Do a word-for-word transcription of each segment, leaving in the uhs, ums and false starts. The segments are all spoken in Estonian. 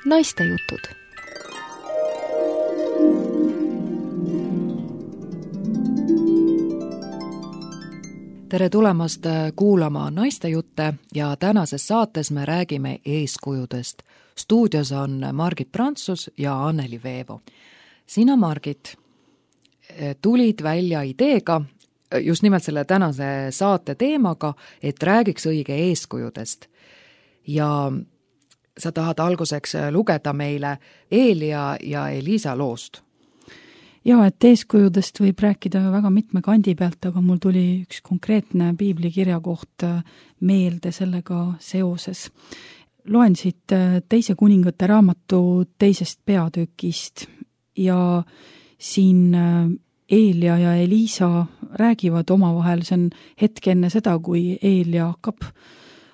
Naistejutud. Tere tulemast kuulama Naistejutte ja tänases saates me räägime eeskujudest. Stuudios on Margit Prantsus ja Anneli Veevo. Sina, Margit, tulid välja ideega just nimelt selle tänase saate teemaga, et räägiks õige eeskujudest. Ja sa tahad alguseks lugeda meile Eelia ja Eliisa loost. Jaa, et eeskujudest võib rääkida väga mitme kandi pealt, aga mul tuli üks konkreetne piiblikirja koht meelde sellega seoses. Loen siit teise kuningate raamatu teisest peatükist ja siin Eelia ja Eliisa räägivad omavahel, see on hetk enne seda, kui Eelia hakkab,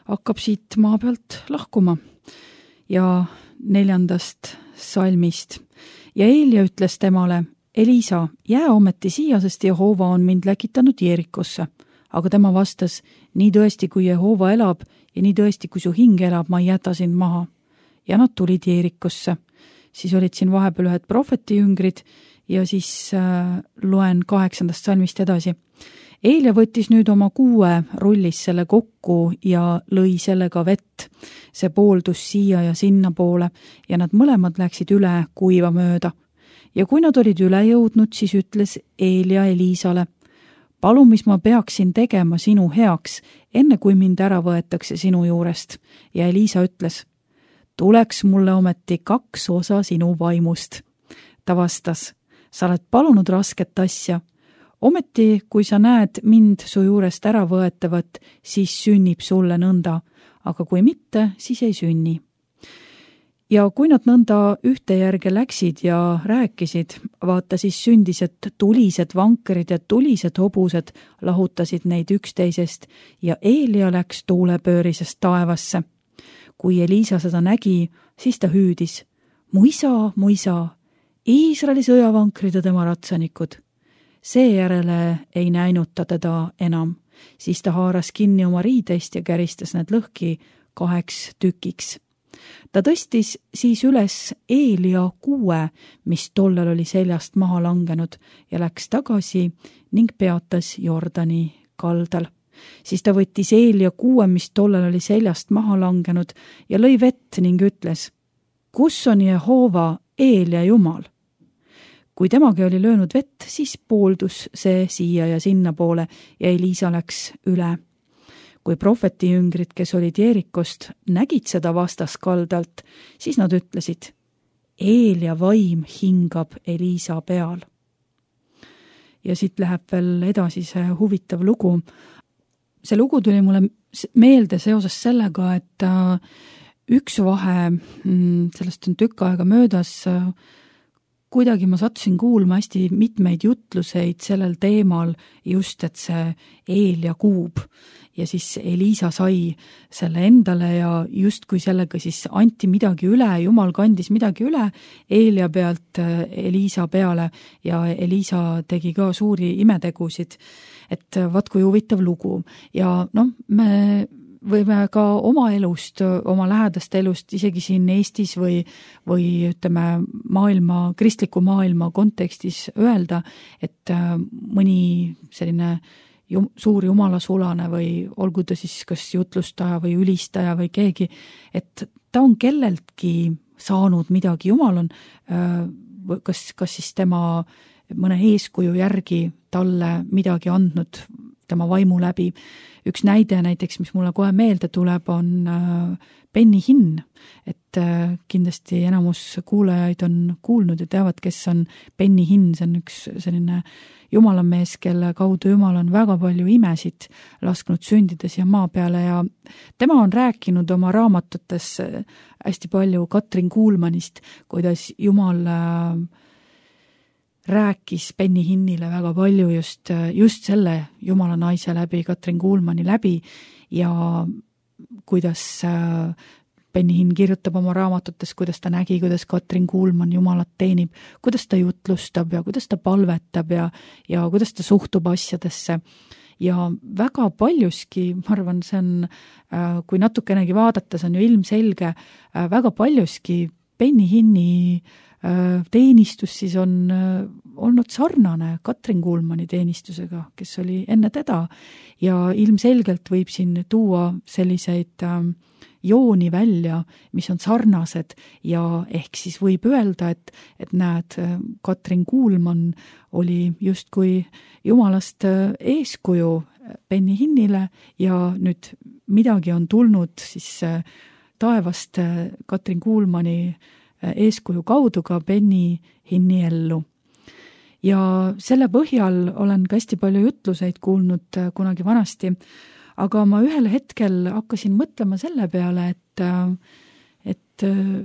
hakkab siit maa pealt lahkuma. Ja neljandast salmist. Ja Eelia ütles temale, Eliisa, jää ometi siia, sest Jehova on mind läkitanud Jeerikosse. Aga tema vastas, nii tõesti, kui Jehova elab ja nii tõesti, kui su hing elab, ma ei jäta sind maha. Ja nad tulid Jeerikosse. Siis olid siin vahepeal ühed prohvetijüngrid ja siis äh, loen kaheksandast salmist edasi. Eelia võttis nüüd oma kuue, rullis selle kokku ja lõi sellega vett. See pooldus siia ja sinna poole ja nad mõlemad läksid üle kuiva mööda. Ja kui nad olid üle jõudnud, siis ütles Eelia Eliisale, palu, mis ma peaksin tegema sinu heaks, enne kui mind ära võetakse sinu juurest. Ja Eliisa ütles, tuleks mulle ometi kaks osa sinu vaimust. Ta vastas, sa oled palunud rasket asja. Ometi, kui sa näed mind su juurest ära võetavat, siis sünnib sulle nõnda, aga kui mitte, siis ei sünni. Ja kui nad nõnda ühte järge läksid ja rääkisid, vaata siis sündis, et tulised vankerid ja tulised hobused lahutasid neid üksteisest ja Eelia läks tuulepöörisest taevasse. Kui Eliisa seda nägi, siis ta hüüdis, mu isa, mu isa, Iisraeli sõjavankrid ja tema ratsanikud. Seejärele ei näinud ta teda enam, siis ta haaras kinni oma riideist ja käristas need lõhki kaheks tükiks. Ta tõstis siis üles Eelia kuue, mis tollel oli seljast maha langenud ja läks tagasi ning peatas Jordani kaldal. Siis ta võttis Eelia kuue, mis tollel oli seljast maha langenud ja lõi vett ning ütles, kus on Jehova Eelia Jumal? Kui temagi oli löönud vett, siis pooldus see siia ja sinna poole ja Eliisa läks üle. Kui prohvetijüngrid, kes olid Jeerikost, nägid seda vastaskaldalt, siis nad ütlesid, Eelia vaim hingab Eliisa peal. Ja siit läheb veel edasi see huvitav lugu. See lugu tuli mulle meelde seoses sellega, et üks vahe, sellest on tükk aega möödas, kuidagi ma sattusin kuulma hästi mitmeid jutluseid sellel teemal just, et see Eelia kuub. Ja siis Eliisa sai selle endale ja just kui sellega siis anti midagi üle, Jumal kandis midagi üle Eelia pealt Eliisa peale ja Eliisa tegi ka suuri imetegusid. Et vaat kui huvitav lugu. Ja noh, me võime ka oma elust, oma lähedaste elust, isegi siin Eestis või, või ütleme maailma, kristliku maailma kontekstis öelda, et mõni selline jum, suur jumalasulane või olgu ta siis kas jutlustaja või ülistaja või keegi, et ta on kelleltki saanud midagi, Jumal on kas, kas siis tema mõne eeskuju järgi talle midagi andnud tema vaimu läbi. Üks näide näiteks, mis mulle kohe meelde tuleb, on Benny Hinn, et kindlasti enamus kuulajaid on kuulnud ja teavad, kes on Benny Hinn, see on üks selline jumalamees, kelle kaudu Jumal on väga palju imesid lasknud sündida siia maa peale ja tema on rääkinud oma raamatutes hästi palju Katrin Kuulmanist, kuidas Jumal rääkis Benny Hinnile väga palju just, just selle Jumala naise läbi, Katrin Kuulmani läbi ja kuidas Benny Hinn kirjutab oma raamatutes, kuidas ta nägi, kuidas Katrin Kuulman Jumalat teenib, kuidas ta jutlustab ja kuidas ta palvetab ja, ja kuidas ta suhtub asjadesse. Ja väga paljuski, ma arvan, see on, kui natukenegi vaadata, see on ju ilmselge, väga paljuski Benny Hinni teenistus siis on olnud sarnane Katrin Kuulmani teenistusega, kes oli enne teda ja ilmselgelt võib siin tuua selliseid jooni välja, mis on sarnased ja ehk siis võib öelda, et, et näed, Katrin Kuulman oli justkui jumalast eeskuju Benny Hinnile ja nüüd midagi on tulnud siis taevast Katrin Kuulmani eeskuju kaudu ka Benny Hinni ellu. Ja selle põhjal olen ka hästi palju jutluseid kuulnud kunagi vanasti, aga ma ühel hetkel hakkasin mõtlema selle peale, et, et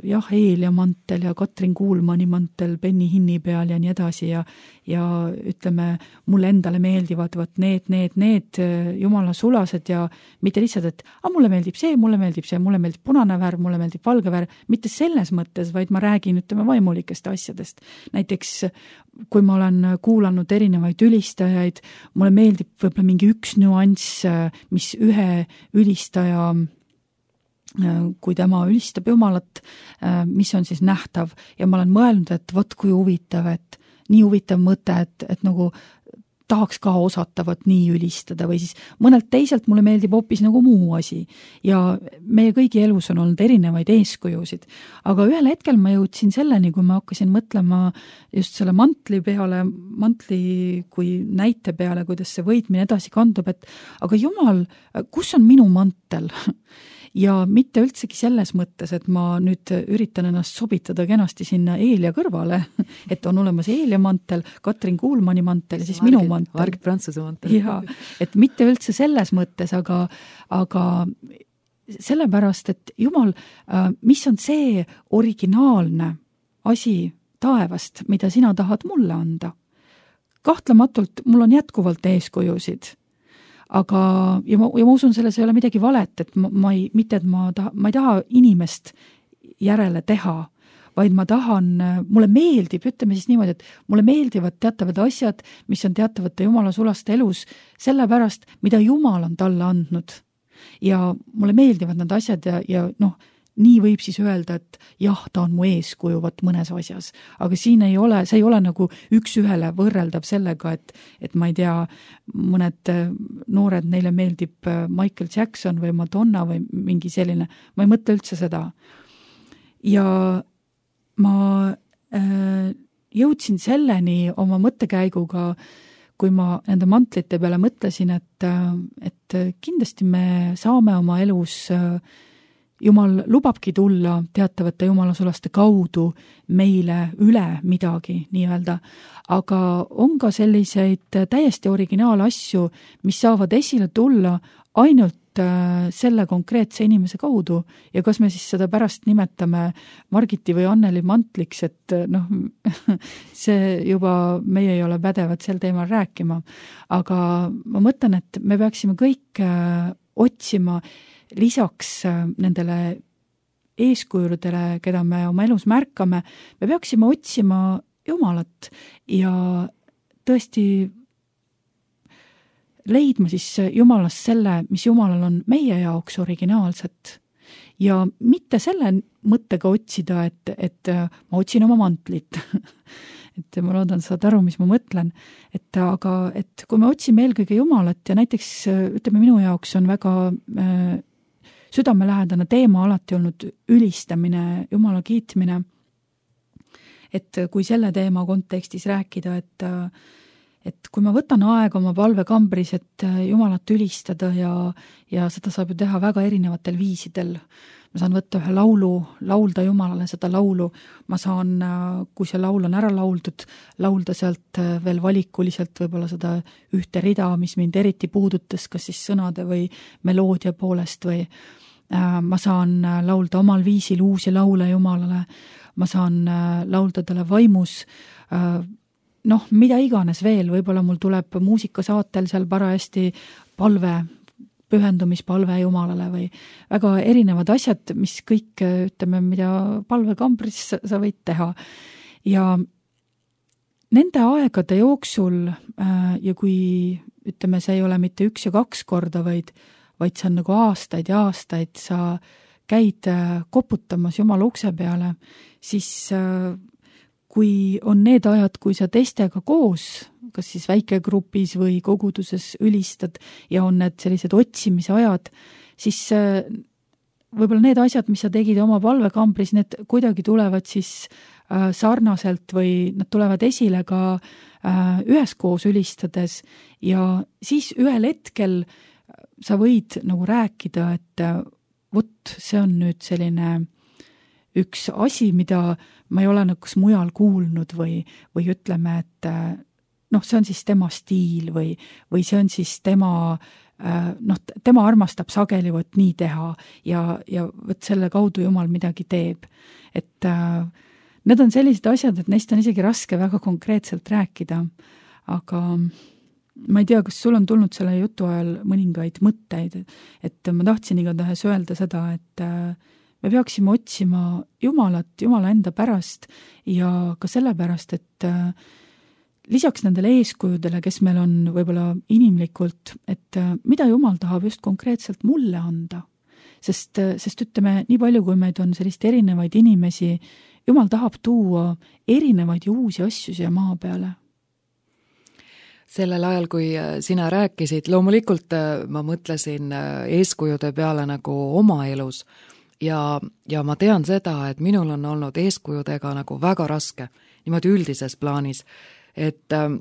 jah, Eelia mantel ja Katrin Kuulmani mantel Benny Hinni peal ja nii edasi ja, ja ütleme, mulle endale meeldivad võt need, need, need jumala sulased ja mitte lihtsalt, et ah, mulle meeldib see, mulle meeldib see, mulle meeldib punane värv, mulle meeldib valge värv, mitte selles mõttes, vaid ma räägin, ütleme, vaimulikest asjadest. Näiteks, kui ma olen kuulanud erinevaid ülistajaid, mulle meeldib võib-olla mingi üks nüanss, mis ühe ülistaja kui tema ülistab Jumalat, mis on siis nähtav ja ma olen mõelnud, et vot kui huvitav, et nii huvitav mõte, et, et nagu tahaks ka osata vot nii ülistada või siis mõnelt teiselt mulle meeldib hoopis nagu muu asi ja meie kõigi elus on olnud erinevaid eeskujusid, aga ühel hetkel ma jõudsin selleni, kui ma hakkasin mõtlema just selle mantli peale, mantli kui näite peale, kuidas see võitmine edasi kandub, et aga Jumal, kus on minu mantel? Ja mitte üldsegi selles mõttes, et ma nüüd üritan ennast sobitada kenasti sinna Eelia kõrvale, et on olemas Eelia mantel, Katrin Kuulmani mantel ja siis Margit, minu mantel. Margit Prantsuse mantel. Ja, et mitte üldse selles mõttes, aga, aga sellepärast, et Jumal, mis on see originaalne asi taevast, mida sina tahad mulle anda? Kahtlematult mul on jätkuvalt eeskujusid. Aga, ja ma, ja ma usun, selles ei ole midagi valet, et ma, ma ei, mitte, et ma, taha, ma ei taha inimest järele teha, vaid ma tahan, mulle meeldib, ütleme siis niimoodi, et mulle meeldivad teatavad asjad, mis on teatavate Jumala sulaste elus, sellepärast, mida Jumal on talle andnud. Ja mulle meeldivad need asjad ja, ja noh, nii võib siis öelda, et jah, ta on mu eeskuju võt mõnes asjas, aga siin ei ole, see ei ole nagu üks ühele võrreldav sellega, et, et ma ei tea, mõned noored, neile meeldib Michael Jackson või Madonna või mingi selline, ma ei mõtle üldse seda. Ja ma äh, jõudsin selleni oma mõttekäiguga, kui ma nende mantlite peale mõtlesin, et, et kindlasti me saame oma elus äh, Jumal lubabki tulla teatavate jumalasulaste kaudu meile üle midagi nii-öelda, aga on ka selliseid täiesti originaal-asju, mis saavad esile tulla ainult selle konkreetse inimese kaudu ja kas me siis seda pärast nimetame Margiti või Anneli mantliks, et noh, see juba meie ei ole pädevad sel teemal rääkima, aga ma mõtlen, et me peaksime kõik otsima lisaks nendele eeskujudele, keda me oma elus märkame, me peaksime otsima Jumalat ja tõesti leidma siis Jumalast selle, mis Jumalal on meie jaoks originaalset. Ja mitte selle mõttega otsida, et, et ma otsin oma mantlit. et ma loodan, saad aru, mis ma mõtlen. Et, aga et kui me otsime eelkõige Jumalat ja näiteks, ütleme, minu jaoks on väga äh, südamelähedane teema alati olnud ülistamine, Jumala kiitmine. Et kui selle teema kontekstis rääkida, et et kui ma võtan aega oma palvekambris, et Jumalat ülistada ja, ja seda saab ju teha väga erinevatel viisidel. Ma saan võtta ühe laulu, laulda Jumalale seda laulu. Ma saan, kui see laul on ära lauldud, laulda sealt veel valikuliselt võib-olla seda ühte rida, mis mind eriti puudutas, kas siis sõnade või meloodia poolest või ma saan laulda omal viisil uusi laule Jumalale. Ma saan laulda talle vaimus, noh, mida iganes veel, võib-olla mul tuleb muusikasaatel seal parajasti palve, pühendumispalve Jumalale või väga erinevad asjad, mis kõik, ütleme, mida palvekambris sa võid teha. Ja nende aegade jooksul ja kui, ütleme, see ei ole mitte üks ja kaks korda, vaid, vaid see on nagu aastaid ja aastaid, sa käid koputamas Jumala ukse peale, siis kui on need ajad, kui sa teistega koos, kas siis väikegrupis või koguduses ülistad ja on need sellised otsimise ajad, siis võib-olla need asjad, mis sa tegid oma palvekambris, need kuidagi tulevad siis sarnaselt või nad tulevad esile ka üheskoos ülistades ja siis ühel hetkel sa võid nagu rääkida, et vot see on nüüd selline üks asi, mida ma ei ole nagu kas mujal kuulnud või, või ütleme, et noh, see on siis tema stiil või, või see on siis tema noh, tema armastab sageli võt nii teha ja, ja võt selle kaudu Jumal midagi teeb. Et äh, need on sellised asjad, et neist on isegi raske väga konkreetselt rääkida, aga ma ei tea, kas sul on tulnud selle jutu ajal mõningaid mõtteid, et ma tahtsin igatahes öelda seda, et äh, me peaksime otsima Jumalat, Jumala enda pärast ja ka sellepärast, et äh, lisaks nendele eeskujudele, kes meil on võib-olla inimlikult, et mida Jumal tahab just konkreetselt mulle anda. Sest, sest ütleme, nii palju, kui meid on sellist erinevaid inimesi, Jumal tahab tuua erinevaid ja uusi asju siia maa peale. Sellel ajal, kui sina rääkisid, loomulikult ma mõtlesin eeskujude peale nagu oma elus ja, ja ma tean seda, et minul on olnud eeskujudega nagu väga raske, niimoodi üldises plaanis. Et ähm,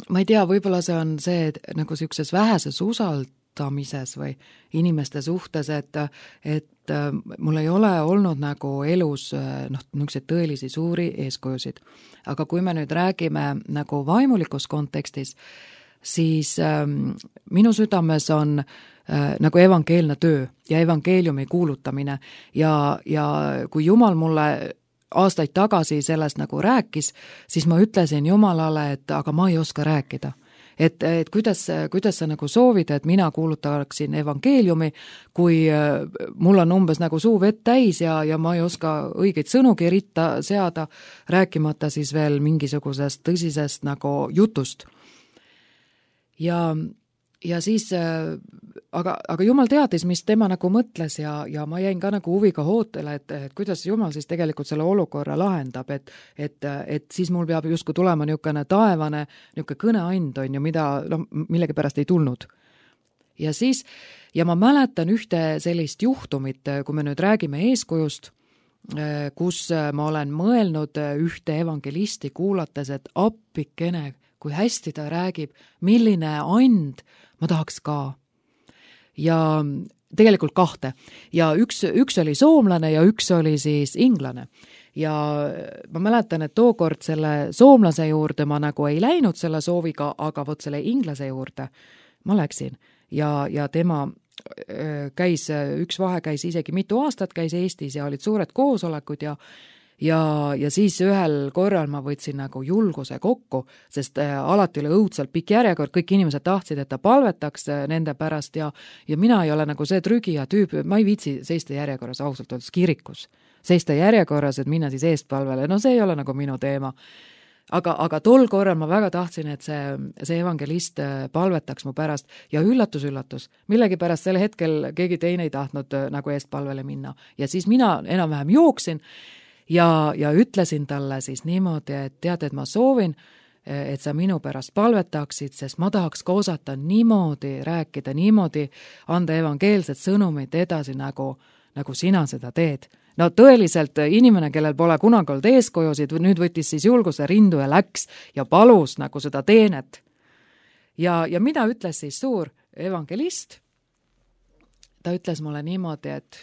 ma ei tea, võib-olla see on see, et nagu sellises väheses usaldamises või inimeste suhtes, et, et äh, mul ei ole olnud nagu elus äh, noh, niisuguseid tõelisi suuri eeskujusid. Aga kui me nüüd räägime nagu vaimulikus kontekstis, siis äh, minu südames on äh, nagu evangeelne töö ja evangeeliumi kuulutamine ja, ja kui Jumal mulle aastaid tagasi sellest nagu rääkis, siis ma ütlesin Jumalale, et aga ma ei oska rääkida. Et, et kuidas, kuidas sa nagu soovid, et mina kuulutaksin evangeeliumi, kui mul on umbes nagu suu vett täis ja, ja ma ei oska õigeid sõnugi ritta seada, rääkimata siis veel mingisugusest tõsisest nagu jutust. Ja Ja siis, aga, aga Jumal teadis, mis tema nagu mõtles ja, ja ma jäin ka nagu huviga hootele, et, et kuidas Jumal siis tegelikult selle olukorra lahendab, et, et, et siis mul peab justkui tulema niisugune taevane, niisugune kõneand on ju, mida no, millegi pärast ei tulnud. Ja siis, ja ma mäletan ühte sellist juhtumit, kui me nüüd räägime eeskujust, kus ma olen mõelnud ühte evangelisti kuulates, et appikene, kui hästi ta räägib, milline and ma tahaks ka. Ja tegelikult kahte. Ja üks, üks oli soomlane ja üks oli siis inglane. Ja ma mäletan, et tookord selle soomlase juurde ma nagu ei läinud selle sooviga, aga võt selle inglase juurde ma läksin. Ja, ja tema käis, üks vahe käis isegi mitu aastat, käis Eestis ja olid suured koosolekud ja Ja, ja siis ühel korral ma võtsin nagu julguse kokku, sest alati oli õudselt pikk järjekord, kõik inimesed tahtsid, et ta palvetaks nende pärast ja, ja mina ei ole nagu see trügija tüüp, ma ei viitsi seista järjekorras ausalt öeldes kirikus. Seista järjekorras, et minna siis eestpalvele, no see ei ole nagu minu teema. Aga, aga tol korral ma väga tahtsin, et see, see evangelist palvetaks mu pärast ja üllatus, üllatus. Millegi pärast sel hetkel keegi teine ei tahtnud nagu eestpalvele minna. Ja siis mina enam-vähem jooksin Ja, ja ütlesin talle siis niimoodi, et tead, et ma soovin, et sa minu pärast palvetaksid, sest ma tahaks ka osata niimoodi rääkida, niimoodi anda evangeelset sõnumit edasi, nagu, nagu sina seda teed. No tõeliselt inimene, kellel pole kunagi olnud eeskujusid, nüüd võttis siis julguse rindu ja läks ja palus nagu seda teenet. Ja, ja mida ütles siis suur evangelist? Ta ütles mulle niimoodi, et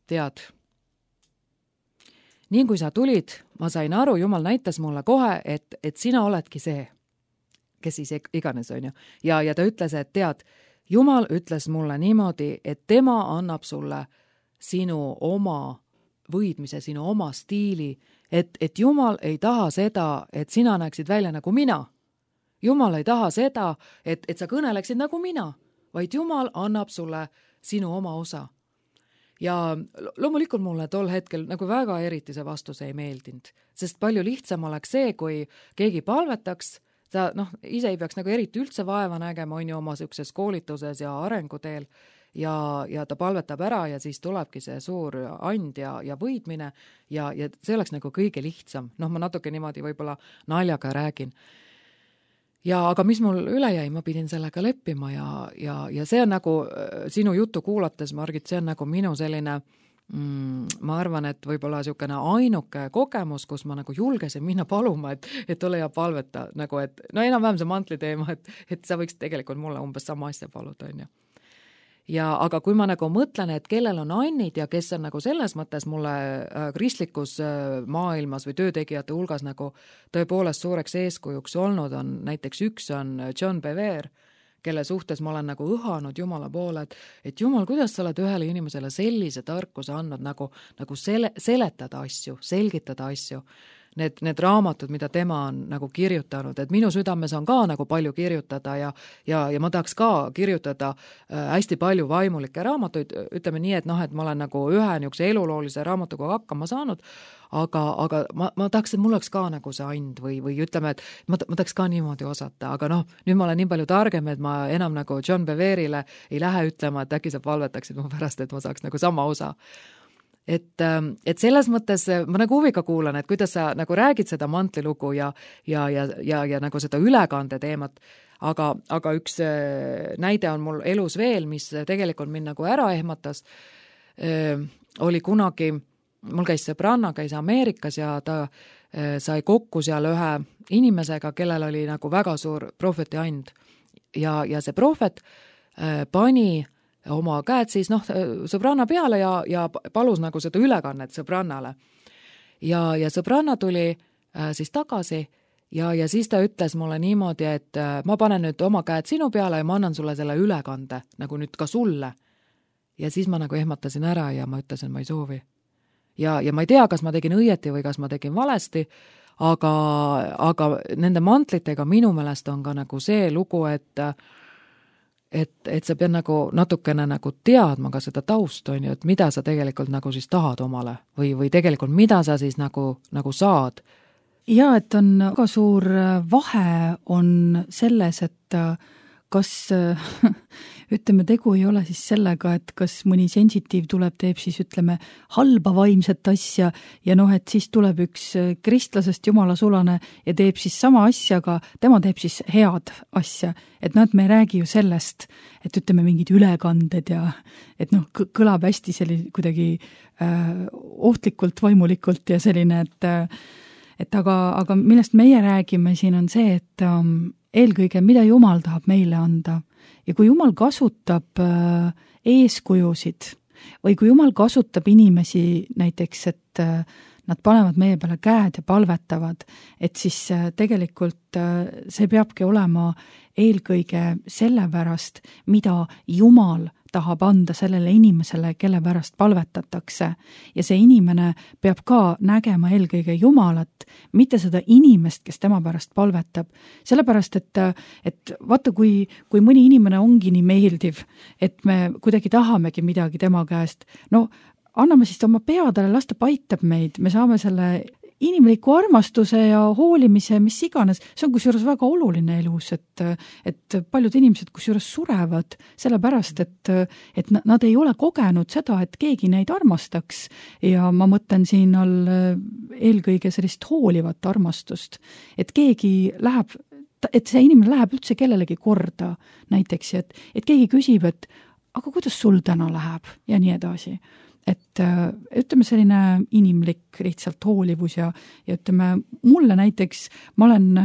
tead, nii kui sa tulid, ma sain aru, Jumal näitas mulle kohe, et, et sina oledki see, kes siis iganes on ju. Ja, ja ta ütles, et tead, Jumal ütles mulle niimoodi, et tema annab sulle sinu oma võidmise, sinu oma stiili, et, et Jumal ei taha seda, et sina näeksid välja nagu mina. Jumal ei taha seda, et, et sa kõneleksid nagu mina, vaid Jumal annab sulle sinu oma osa. Ja loomulikult mulle tol hetkel nagu väga eriti see vastus ei meeldinud, sest palju lihtsam oleks see, kui keegi palvetaks, sa noh, ise ei peaks nagu eriti üldse vaeva nägema, on ju oma sellises koolituses ja arenguteel ja, ja ta palvetab ära ja siis tulebki see suur and ja, ja võidmine ja, ja see oleks nagu kõige lihtsam. Noh, ma natuke niimoodi võib-olla naljaga räägin. Ja aga mis mul üle jäi, ma pidin sellega leppima ja, ja, ja see on nagu sinu juttu kuulates, Margit, see on nagu minu selline Mm, ma arvan, et võib-olla niisugune ainuke kogemus, kus ma nagu julgesin minna paluma, et, et ole ja palveta, nagu et no enam-vähem see mantli teema, et, et sa võiks tegelikult mulle umbes sama asja paluda, on ju. Ja aga kui ma nagu mõtlen, et kellel on annid ja kes on nagu selles mõttes mulle kristlikus maailmas või töötegijate hulgas nagu tõepoolest suureks eeskujuks olnud, on näiteks üks on John Bevere, kelle suhtes ma olen nagu õhanud Jumala poole, et, et Jumal, kuidas sa oled ühele inimesele sellise tarkuse andnud nagu, nagu sele, seletada asju, selgitada asju. Need, need raamatud, mida tema on nagu kirjutanud, et minu südames on ka nagu palju kirjutada ja, ja, ja ma tahaks ka kirjutada äh, hästi palju vaimulikke raamatuid, ütleme nii, et noh, et ma olen nagu ühe niisuguse eluloolise raamatuga hakkama saanud, aga, aga ma, ma tahaks, et mul oleks ka nagu see and või, või ütleme, et ma, ma tahaks ka niimoodi osata, aga noh, nüüd ma olen nii palju targem, et ma enam nagu John Bevere'ile ei lähe ütlema, et äkki sa palvetaksid mu pärast, et ma saaks nagu sama osa. Et, et selles mõttes ma nagu huviga kuulan, et kuidas sa nagu räägid seda mantlilugu ja, ja, ja, ja, ja nagu seda ülekande teemat, aga, aga üks näide on mul elus veel, mis tegelikult mind nagu ära ehmatas, oli kunagi, mul käis sõbranna, käis Ameerikas ja ta sai kokku seal ühe inimesega, kellel oli nagu väga suur prohveti and ja, ja see prohvet pani oma käed siis noh, sõbranna peale ja, ja palus nagu seda ülekannet sõbrannale. Ja, ja sõbranna tuli äh, siis tagasi ja, ja siis ta ütles mulle niimoodi, et äh, ma panen nüüd oma käed sinu peale ja ma annan sulle selle ülekande, nagu nüüd ka sulle. Ja siis ma nagu ehmatasin ära ja ma ütlesin, ma ei soovi. Ja, ja ma ei tea, kas ma tegin õieti või kas ma tegin valesti, aga, aga nende mantlitega minu meelest on ka nagu see lugu, et Et, et sa pead nagu natukene nagu teadma ka seda taust, on ju, et mida sa tegelikult nagu siis tahad omale või, või tegelikult mida sa siis nagu, nagu saad. Ja, et on väga suur vahe on selles, et kas ütleme, tegu ei ole siis sellega, et kas mõni sensitiiv tuleb, teeb siis ütleme halba vaimset asja ja noh, et siis tuleb üks kristlasest jumala sulane ja teeb siis sama asja, aga tema teeb siis head asja. Et noh, et me ei räägi ju sellest, et ütleme mingid ülekanded ja et noh, kõlab hästi selline kuidagi äh, ohtlikult, vaimulikult ja selline, et et aga, aga millest meie räägime siin on see, et um, eelkõige, mida Jumal tahab meile anda. Ja kui Jumal kasutab äh, eeskujusid või kui Jumal kasutab inimesi näiteks, et äh, nad panevad meie peale käed ja palvetavad, et siis äh, tegelikult äh, see peabki olema eelkõige sellepärast, mida Jumal tahab anda sellele inimesele, kelle pärast palvetatakse. Ja see inimene peab ka nägema eelkõige Jumalat, mitte seda inimest, kes tema pärast palvetab. Sellepärast, et, et vaata, kui, kui mõni inimene ongi nii meeldiv, et me kuidagi tahamegi midagi tema käest, no anname siis oma peadele, las ta paitab meid, me saame selle inimliku armastuse ja hoolimise, mis iganes, see on kusjuures väga oluline elus, et, et paljud inimesed kusjuures surevad sellepärast, et, et nad ei ole kogenud seda, et keegi neid armastaks ja ma mõtlen siin all eelkõige sellist hoolivat armastust, et keegi läheb, et see inimene läheb üldse kellelegi korda näiteks, et, et keegi küsib, et aga kuidas sul täna läheb ja nii edasi. Et ütleme selline inimlik lihtsalt hoolivus ja, ja ütleme, mulle näiteks, ma olen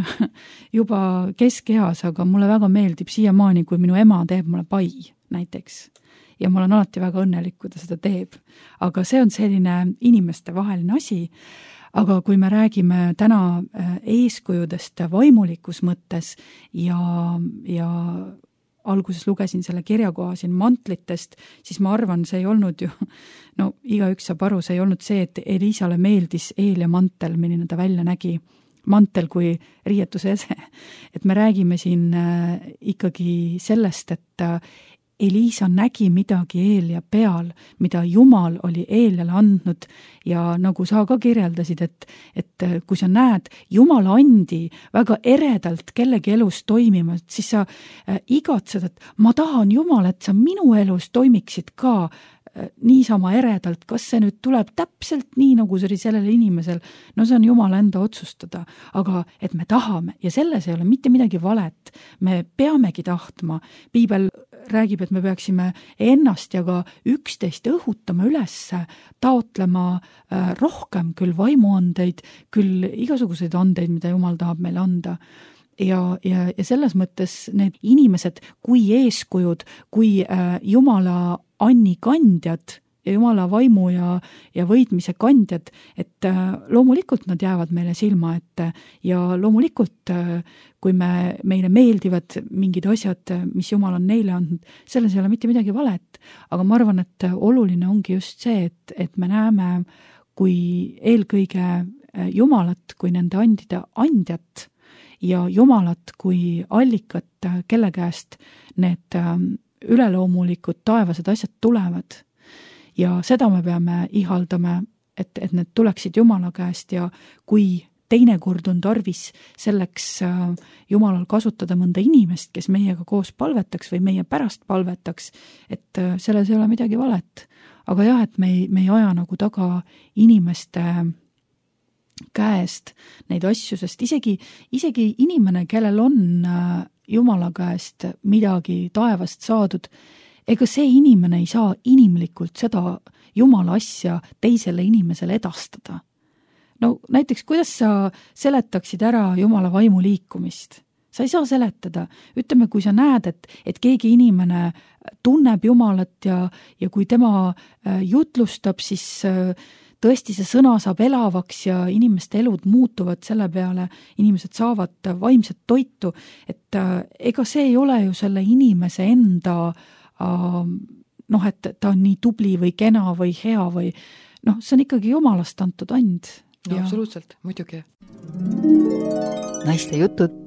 juba keskeas, aga mulle väga meeldib siiamaani, kui minu ema teeb mulle pai näiteks. Ja ma olen alati väga õnnelik, kui ta seda teeb. Aga see on selline inimeste vaheline asi. Aga kui me räägime täna eeskujudest vaimulikus mõttes ja, ja alguses lugesin selle kirjakoha siin mantlitest, siis ma arvan, see ei olnud ju, no igaüks saab aru, see ei olnud see, et Elisale meeldis eel ja mantel, milline ta välja nägi, mantel kui riietuse ese. Et me räägime siin ikkagi sellest, et Eliisa nägi midagi Eelia peal, mida Jumal oli Eeliale andnud ja nagu sa ka kirjeldasid, et, et kui sa näed Jumala andi väga eredalt kellegi elus toimima, siis sa igatsed, et ma tahan Jumal, et sa minu elus toimiksid ka niisama eredalt, kas see nüüd tuleb täpselt nii, nagu see oli sellel inimesel, no see on Jumala enda otsustada, aga et me tahame ja selles ei ole mitte midagi valet, me peamegi tahtma, piibel räägib, et me peaksime ennast ja ka üksteist õhutama üles, taotlema rohkem küll vaimuandeid, küll igasuguseid andeid, mida Jumal tahab meile anda. Ja, ja, ja selles mõttes need inimesed kui eeskujud, kui äh, Jumala anni kandjad ja Jumala vaimu ja, ja võidmise kandjad, et äh, loomulikult nad jäävad meile silma ette ja loomulikult äh, kui me, meile meeldivad mingid asjad, mis Jumal on neile andnud, selles ei ole mitte midagi valet, aga ma arvan, et oluline ongi just see, et, et me näeme kui eelkõige Jumalat, kui nende andide andjat ja Jumalat kui allikat, kelle käest need üleloomulikud taevased asjad tulevad. Ja seda me peame ihaldama, et, et need tuleksid Jumala käest ja kui teinekord on tarvis selleks Jumalal kasutada mõnda inimest, kes meiega koos palvetaks või meie pärast palvetaks, et selles ei ole midagi valet. Aga jah, et me ei, me ei aja nagu taga inimeste käest neid asju, sest isegi, isegi inimene, kellel on Jumala käest midagi taevast saadud, ega see inimene ei saa inimlikult seda Jumala asja teisele inimesele edastada. No näiteks, kuidas sa seletaksid ära Jumala vaimu liikumist? Sa ei saa seletada. Ütleme, kui sa näed, et, et keegi inimene tunneb Jumalat ja, ja kui tema jutlustab, siis tõesti see sõna saab elavaks ja inimeste elud muutuvad selle peale, inimesed saavad vaimset toitu, et ega see ei ole ju selle inimese enda noh, et ta on nii tubli või kena või hea või noh, see on ikkagi Jumalast antud and. No, ja absoluutselt, muidugi. Naiste jutud.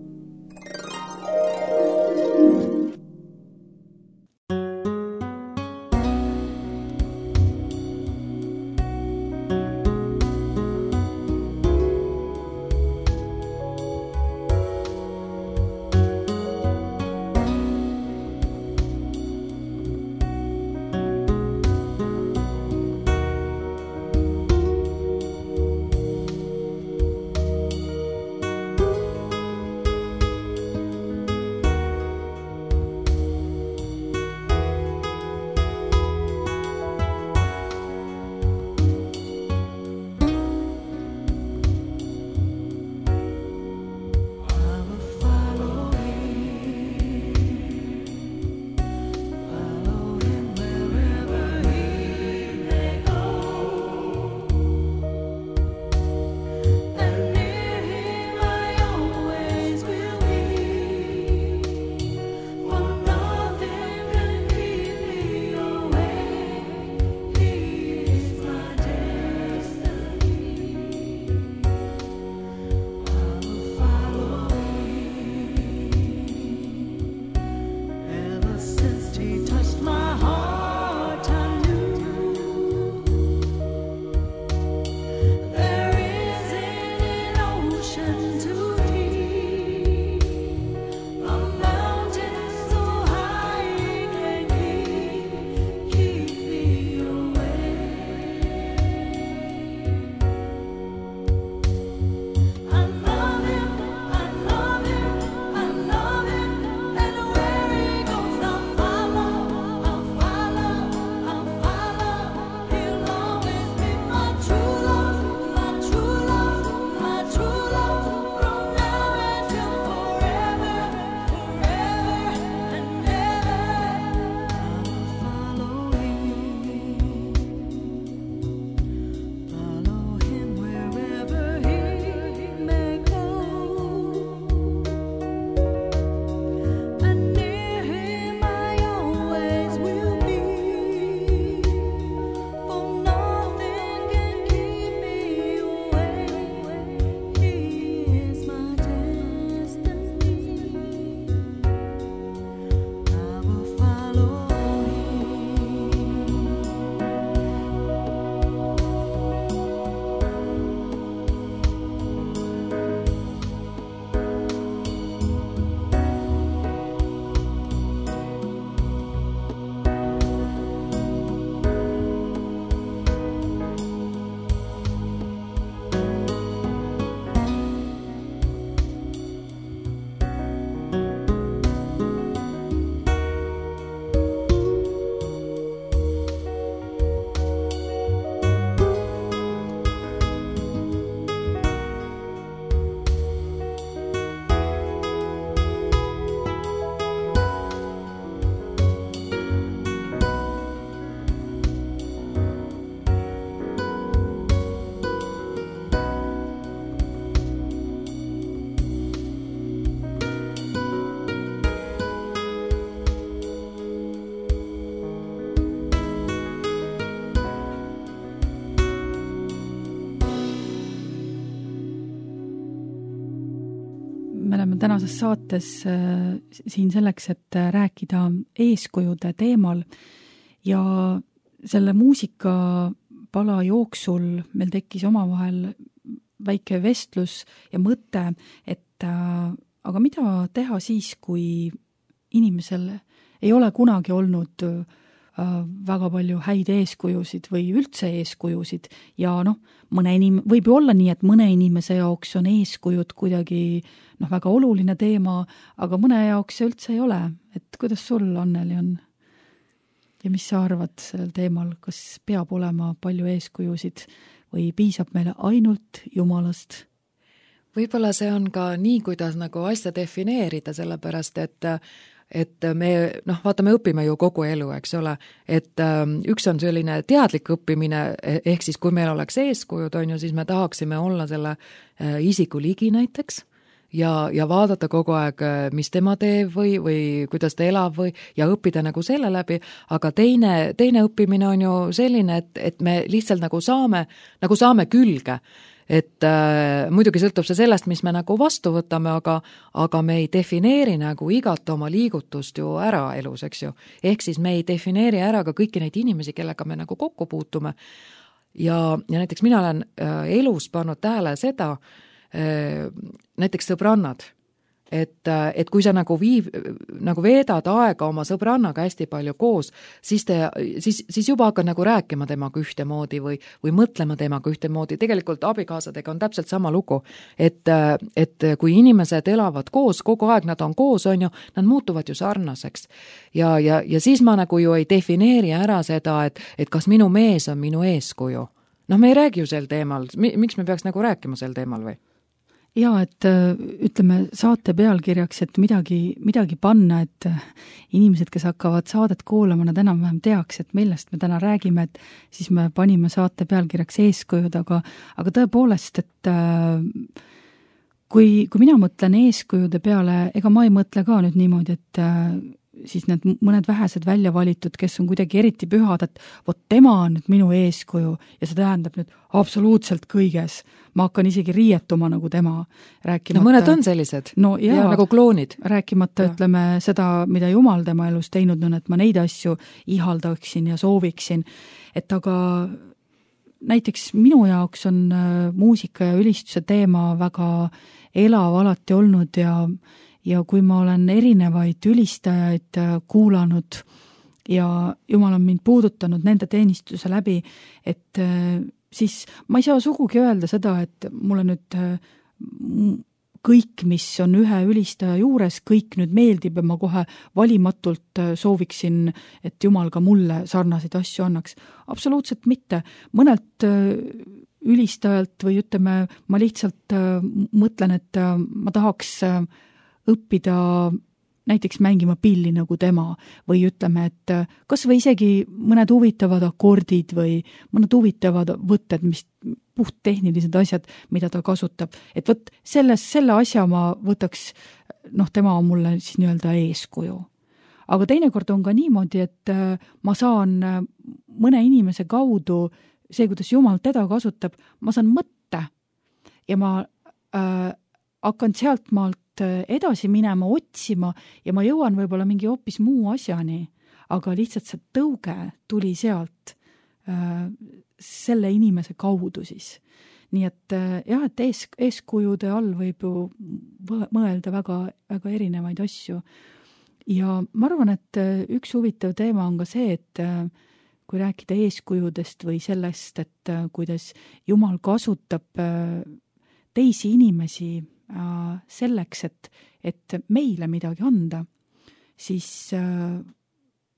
oleme tänases saates siin selleks, et rääkida eeskujude teemal ja selle muusikapala jooksul meil tekkis omavahel väike vestlus ja mõte, et aga mida teha siis, kui inimesel ei ole kunagi olnud väga palju häid eeskujusid või üldse eeskujusid ja noh, mõne inim-, võib ju olla nii, et mõne inimese jaoks on eeskujud kuidagi noh, väga oluline teema, aga mõne jaoks see üldse ei ole. Et kuidas sul, Anneli, on? Ja mis sa arvad sellel teemal, kas peab olema palju eeskujusid või piisab meile ainult Jumalast? Võib-olla see on ka nii, kuidas nagu asja defineerida, sellepärast, et et me, noh, vaata, me õpime ju kogu elu, eks ole, et ähm, üks on selline teadlik õppimine, ehk siis kui meil oleks eeskujud, on ju, siis me tahaksime olla selle äh, isiku ligi näiteks ja, ja vaadata kogu aeg, mis tema teeb või, või kuidas ta elab või, ja õppida nagu selle läbi, aga teine, teine õppimine on ju selline, et, et me lihtsalt nagu saame, nagu saame külge. Et äh, muidugi sõltub see sellest, mis me nagu vastu võtame, aga, aga me ei defineeri nagu igat oma liigutust ju ära elus, eks ju. Ehk siis me ei defineeri ära ka kõiki neid inimesi, kellega me nagu kokku puutume. Ja, ja näiteks mina olen äh, elus pannud tähele seda, äh, näiteks sõbrannad, et, et kui sa nagu, viib, nagu veedad aega oma sõbrannaga hästi palju koos, siis, te, siis, siis juba hakkad nagu rääkima temaga ühtemoodi või, või mõtlema temaga ühtemoodi. Tegelikult abikaasadega on täpselt sama lugu, et, et kui inimesed elavad koos, kogu aeg nad on koos, on ju, nad muutuvad ju sarnaseks. Ja, ja, ja siis ma nagu ju ei defineeri ära seda, et, et kas minu mees on minu eeskuju. Noh, me ei räägi ju sel teemal. Miks me peaks nagu rääkima sel teemal või? Ja, et ütleme saate pealkirjaks, et midagi, midagi panna, et inimesed, kes hakkavad saadet kuulama, nad enam-vähem teaks, et millest me täna räägime, et siis me panime saate pealkirjaks eeskujud, aga, aga tõepoolest, et kui, kui mina mõtlen eeskujude peale, ega ma ei mõtle ka nüüd niimoodi, et siis need mõned vähesed välja valitud, kes on kuidagi eriti pühad, et vot tema on nüüd minu eeskuju ja see tähendab nüüd absoluutselt kõiges. Ma hakkan isegi riietuma nagu tema. Rääkimata, no mõned on sellised no, ja, ja nagu kloonid. Rääkimata, ja. Ütleme seda, mida Jumal tema elus teinud on, et ma neid asju ihaldaksin ja sooviksin. Et aga näiteks minu jaoks on muusika ja ülistuse teema väga elav alati olnud ja ja kui ma olen erinevaid ülistajaid kuulanud ja Jumal on mind puudutanud nende teenistuse läbi, et siis ma ei saa sugugi öelda seda, et mulle nüüd kõik, mis on ühe ülistaja juures, kõik nüüd meeldib ja ma kohe valimatult sooviksin, et Jumal ka mulle sarnaseid asju annaks. Absoluutselt mitte. Mõnelt ülistajalt või ütleme, ma lihtsalt mõtlen, et ma tahaks õppida näiteks mängima pilli nagu tema või ütleme, et kas või isegi mõned huvitavad akordid või mõned huvitavad võtted, mis puht tehnilised asjad, mida ta kasutab. Et võt, selles, selle asja ma võtaks, noh, tema on mulle siis nii-öelda eeskuju. Aga teinekord on ka niimoodi, et ma saan mõne inimese kaudu, see, kuidas Jumal teda kasutab, ma saan mõtte ja ma äh, hakkan sealt maalt edasi minema, otsima ja ma jõuan võib-olla mingi hoopis muu asjani, aga lihtsalt see tõuge tuli sealt äh, selle inimese kaudu siis. Nii et äh, jah, et ees, eeskujude all võib ju mõelda väga, väga erinevaid asju. Ja ma arvan, et üks huvitav teema on ka see, et äh, kui rääkida eeskujudest või sellest, et äh, kuidas Jumal kasutab äh, teisi inimesi selleks, et, et meile midagi anda, siis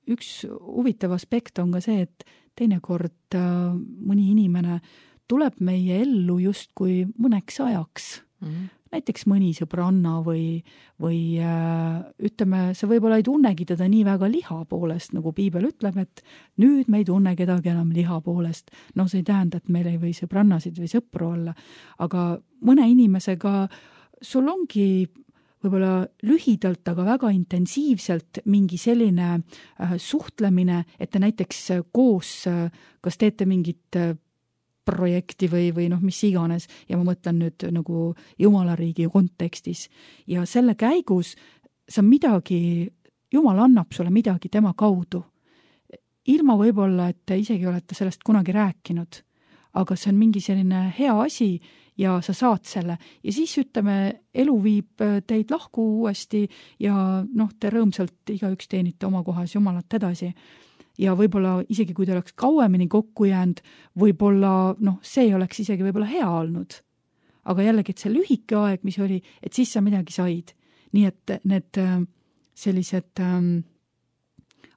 üks huvitav aspekt on ka see, et teinekord mõni inimene tuleb meie ellu justkui mõneks ajaks. Mm-hmm. Näiteks mõni sõbranna või, või ütleme, sa võib-olla ei tunnegi teda nii väga liha poolest, nagu Piibel ütleb, et nüüd me ei tunne kedagi enam liha poolest. No see ei tähenda, et meil ei või sõbrannasid või sõpru olla, aga mõne inimesega sul ongi võib-olla lühidalt, aga väga intensiivselt mingi selline äh, suhtlemine, et te näiteks koos äh, kas teete mingit äh, projekti või, või noh, mis iganes ja ma mõtlen nüüd nagu Jumala riigi kontekstis ja selle käigus sa midagi, Jumal annab sulle midagi tema kaudu. Ilma võib-olla, et te isegi olete sellest kunagi rääkinud, aga see on mingi selline hea asi ja sa saad selle ja siis ütleme, elu viib teid lahku uuesti ja noh, te rõõmsalt igaüks teenite oma kohas Jumalat edasi. Ja võib-olla isegi kui te oleks kauemini kokku jäänud, võib-olla noh, see ei oleks isegi võib-olla hea olnud. Aga jällegi, et see lühike aeg, mis oli, et siis sa midagi said. Nii et need sellised ähm,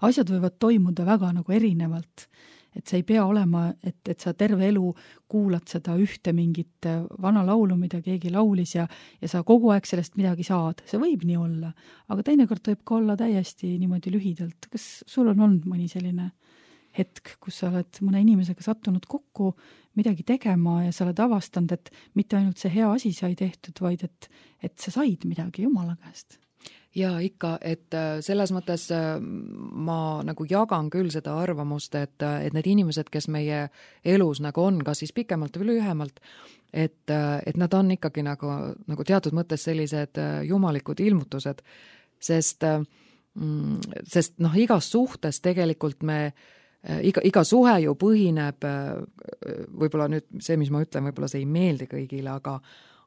asjad võivad toimuda väga nagu erinevalt. Et see ei pea olema, et, et sa terve elu kuulad seda ühte mingit vana laulu, mida keegi laulis ja, ja sa kogu aeg sellest midagi saad. See võib nii olla, aga teinekord võib ka olla täiesti niimoodi lühidalt. Kas sul on olnud mõni selline hetk, kus sa oled mõne inimesega sattunud kokku midagi tegema ja sa oled avastanud, et mitte ainult see hea asi sai tehtud, vaid et, et sa said midagi Jumala käest? Ja ikka, et selles mõttes ma nagu jagan küll seda arvamust, et, et need inimesed, kes meie elus nagu on, kas siis pikemalt või lühemalt, et, et nad on ikkagi nagu, nagu teatud mõttes sellised jumalikud ilmutused, sest, sest noh, igas suhtes tegelikult me, iga, iga suhe ju põhineb, võib-olla nüüd see, mis ma ütlen, võib-olla see ei meeldi kõigile, aga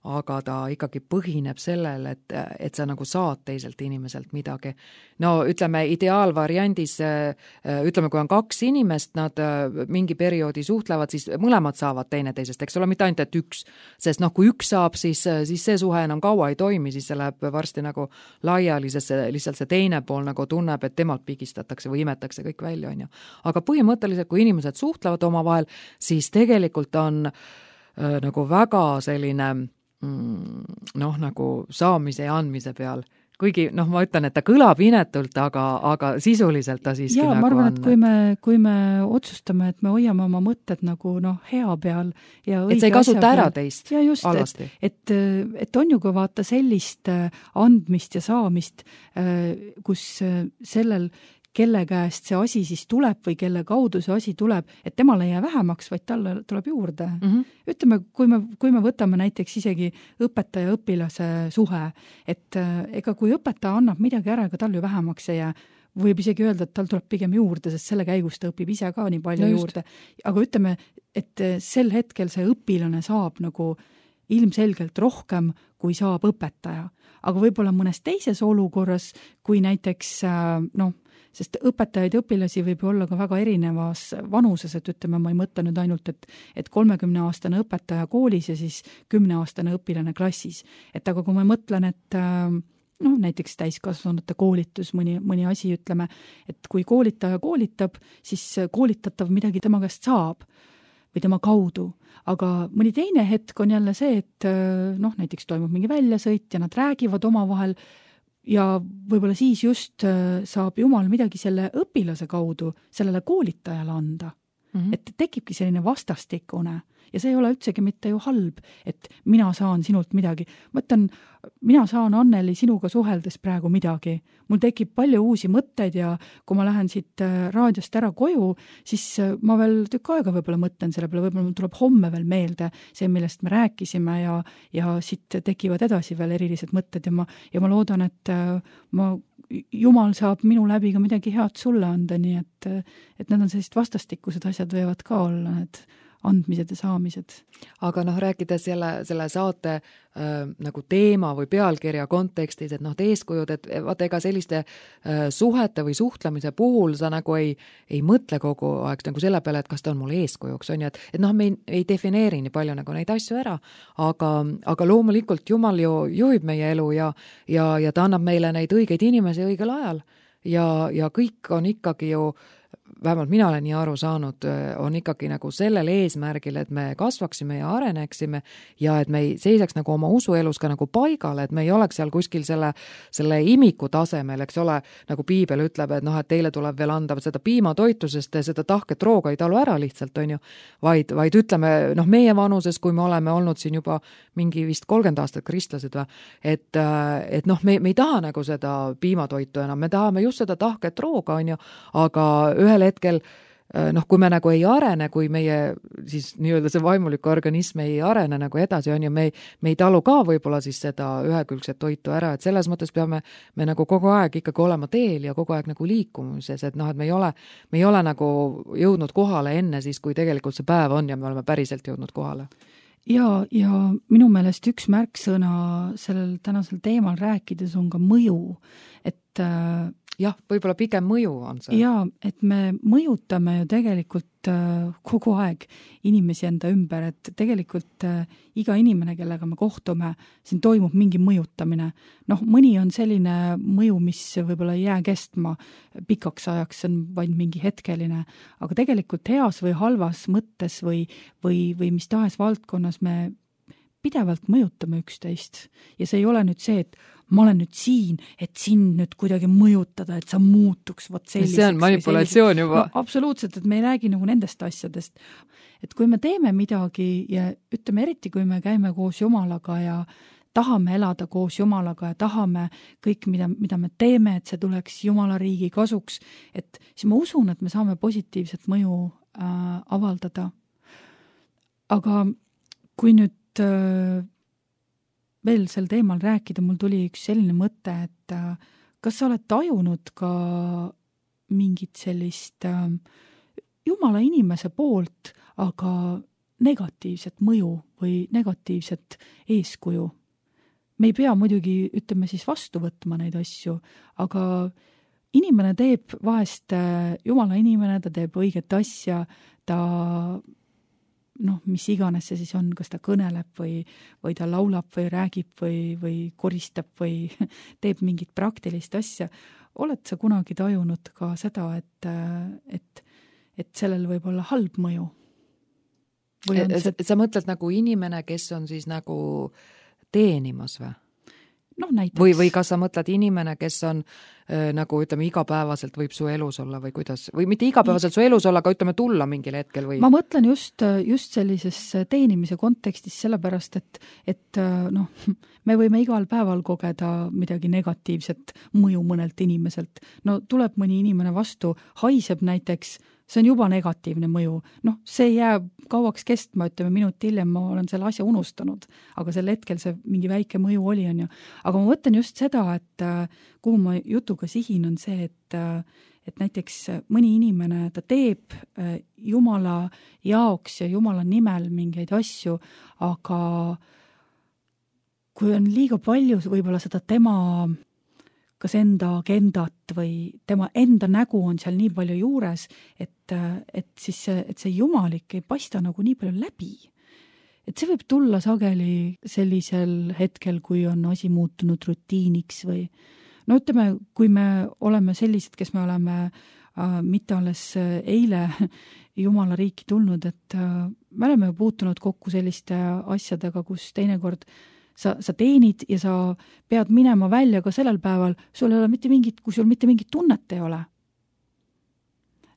aga ta ikkagi põhineb sellel, et, et sa nagu saad teiselt inimeselt midagi. No ütleme, ideaalvariandis, ütleme, kui on kaks inimest, nad mingi perioodi suhtlevad, siis mõlemad saavad teineteisest, eks ole, mitte ainult, et üks. Sest noh, kui üks saab, siis, siis see suhe enam kaua ei toimi, siis see läheb varsti nagu laiali, sest see, lihtsalt see teine pool nagu tunneb, et temalt pigistatakse või imetakse kõik välja, on ju. Aga põhimõtteliselt, kui inimesed suhtlevad omavahel, siis tegelikult on äh, nagu väga selline noh, nagu saamise ja andmise peal. Kuigi, noh, ma ütlen, et ta kõlab inetult, aga, aga sisuliselt ta siiski ja, nagu ma arvan, on. Et kui me, kui me otsustame, et me hoiame oma mõtted nagu noh, hea peal ja õige et see ei kasuta ära peal. teist ja just, alasti. Et, et, et on ju ka vaata sellist andmist ja saamist, kus sellel kelle käest see asi siis tuleb või kelle kaudu see asi tuleb, et temale ei jää vähemaks, vaid talle tuleb juurde. Mm -hmm. Ütleme, kui me, kui me võtame näiteks isegi õpetaja õpilase suhe, et ega kui õpetaja annab midagi ära, ega tal ju vähemaks ei jää, võib isegi öelda, et tal tuleb pigem juurde, sest selle käigus ta õpib ise ka nii palju no juurde. Aga ütleme, et sel hetkel see õpilane saab nagu ilmselgelt rohkem, kui saab õpetaja. Aga võib-olla mõnes teises olukorras, kui näiteks noh, sest õpetajaid ja õpilasi võib olla ka väga erinevas vanuses, et ütleme, ma ei mõtle nüüd ainult, et, et kolmekümne aastane õpetaja koolis ja siis kümne aastane õpilane klassis. Et aga kui ma mõtlen, et noh, näiteks täiskasvanute koolitus, mõni, mõni asi ütleme, et kui koolitaja koolitab, siis koolitatav midagi tema käest saab või tema kaudu. Aga mõni teine hetk on jälle see, et noh, näiteks toimub mingi väljasõit ja nad räägivad omavahel ja võib-olla siis just saab Jumal midagi selle õpilase kaudu sellele koolitajale anda. Mm-hmm. Et tekibki selline vastastikune ja see ei ole üldsegi mitte ju halb, et mina saan sinult midagi. Ma ütlen, mina saan Anneli sinuga suheldes praegu midagi. Mul tekib palju uusi mõtteid ja kui ma lähen siit raadiost ära koju, siis ma veel tükk aega võib-olla mõtlen selle peale, võib-olla tuleb homme veel meelde see, millest me rääkisime ja, ja siit tekivad edasi veel erilised mõtted ja ma, ja ma loodan, et ma Jumal saab minu läbi ka midagi head sulle anda, nii et, et need on sellised vastastikused asjad võivad ka olla, need andmised ja saamised. Aga noh, rääkides jälle selle saate äh, nagu teema või pealkirja kontekstis, et noh, eeskujud, et vaata ega selliste äh, suhete või suhtlemise puhul sa nagu ei, ei mõtle kogu aeg nagu selle peale, et kas ta on mul eeskujuks, on ju, et, et noh, me ei, ei defineeri nii palju nagu neid asju ära, aga, aga loomulikult Jumal ju juhib meie elu ja, ja, ja ta annab meile neid õigeid inimesi õigel ajal ja, ja kõik on ikkagi ju vähemalt mina olen nii aru saanud, on ikkagi nagu sellel eesmärgil, et me kasvaksime ja areneksime ja et me ei seisaks nagu oma usuelus ka nagu paigale, et me ei oleks seal kuskil selle, selle imiku tasemel, eks ole, nagu Piibel ütleb, et noh, et teile tuleb veel anda seda piimatoitu, sest seda tahket rooga ei talu ära lihtsalt, on ju, vaid, vaid ütleme, noh, meie vanuses, kui me oleme olnud siin juba mingi vist kolmkümmend aastat kristlased või, et, et noh, me, me ei taha nagu seda piimatoitu enam, me tahame just seda tahket rooga, on ju, aga ühel hetkel noh, kui me nagu ei arene, kui meie siis nii-öelda see vaimuliku organism ei arene nagu edasi, on ju, me ei, me ei talu ka võib-olla siis seda ühekülgset toitu ära, et selles mõttes peame me nagu kogu aeg ikkagi olema teel ja kogu aeg nagu liikumises, et noh, et me ei ole, me ei ole nagu jõudnud kohale enne siis, kui tegelikult see päev on ja me oleme päriselt jõudnud kohale. Ja, ja minu meelest üks märksõna sellel tänasel teemal rääkides on ka mõju, et jah, võib-olla pigem mõju on see. Jaa, et me mõjutame ju tegelikult kogu aeg inimesi enda ümber, et tegelikult iga inimene, kellega me kohtume, siin toimub mingi mõjutamine. Noh, mõni on selline mõju, mis võib-olla ei jää kestma pikaks ajaks, see on vaid mingi hetkeline, aga tegelikult heas või halvas mõttes või, või, või mis tahes valdkonnas me pidevalt mõjutame üksteist. Ja see ei ole nüüd see, et ma olen nüüd siin, et sind nüüd kuidagi mõjutada, et sa muutuks vot selliseks. See on manipulatsioon juba. No, absoluutselt, et me ei räägi nagu nendest asjadest. Et kui me teeme midagi ja ütleme eriti, kui me käime koos Jumalaga ja tahame elada koos Jumalaga ja tahame kõik, mida, mida me teeme, et see tuleks Jumala riigi kasuks, et siis ma usun, et me saame positiivset mõju äh, avaldada. Aga kui nüüd äh, veel sel teemal rääkida, mul tuli üks selline mõte, et kas sa oled tajunud ka mingit sellist Jumala inimese poolt, aga negatiivset mõju või negatiivset eeskuju? Me ei pea muidugi, ütleme siis vastu võtma neid asju, aga inimene teeb vahest, Jumala inimene, ta teeb õiget asja, ta noh, mis iganes see siis on, kas ta kõneleb või, või ta laulab või räägib või, või koristab või teeb mingit praktilist asja. Oled sa kunagi tajunud ka seda, et, et, et sellel võib olla halb mõju? Või on see... Sa mõtled nagu inimene, kes on siis nagu teenimas või? No, näiteks. Või, või kas sa mõtled inimene, kes on äh, nagu ütleme igapäevaselt võib su elus olla või kuidas, või mitte igapäevaselt su elus olla, aga ütleme tulla mingil hetkel või? Ma mõtlen just, just sellises teenimise kontekstis sellepärast, et, et noh, me võime igal päeval kogeda midagi negatiivset mõju mõnelt inimeselt. No tuleb mõni inimene vastu, haiseb näiteks, see on juba negatiivne mõju. Noh, see jääb kauaks kestma, ütleme minut hiljem ma olen selle asja unustanud, aga sel hetkel see mingi väike mõju oli, on ju. Aga ma mõtlen just seda, et kuhu ma jutuga sihin on see, et, et näiteks mõni inimene, ta teeb Jumala jaoks ja Jumala nimel mingeid asju, aga kui on liiga palju võib-olla seda tema kas enda agendat või tema enda nägu on seal nii palju juures, et, et siis see, et see jumalik ei paista nagu nii palju läbi. Et see võib tulla sageli sellisel hetkel, kui on asi muutunud rutiiniks või no ütleme, kui me oleme sellised, kes me oleme äh, mitte alles eile Jumala riiki tulnud, et äh, me oleme puutunud kokku selliste asjadega, kus teinekord Sa, sa teenid ja sa pead minema välja ka sellel päeval, sul ei ole mitte mingit, kui sul mitte mingit tunnet ei ole.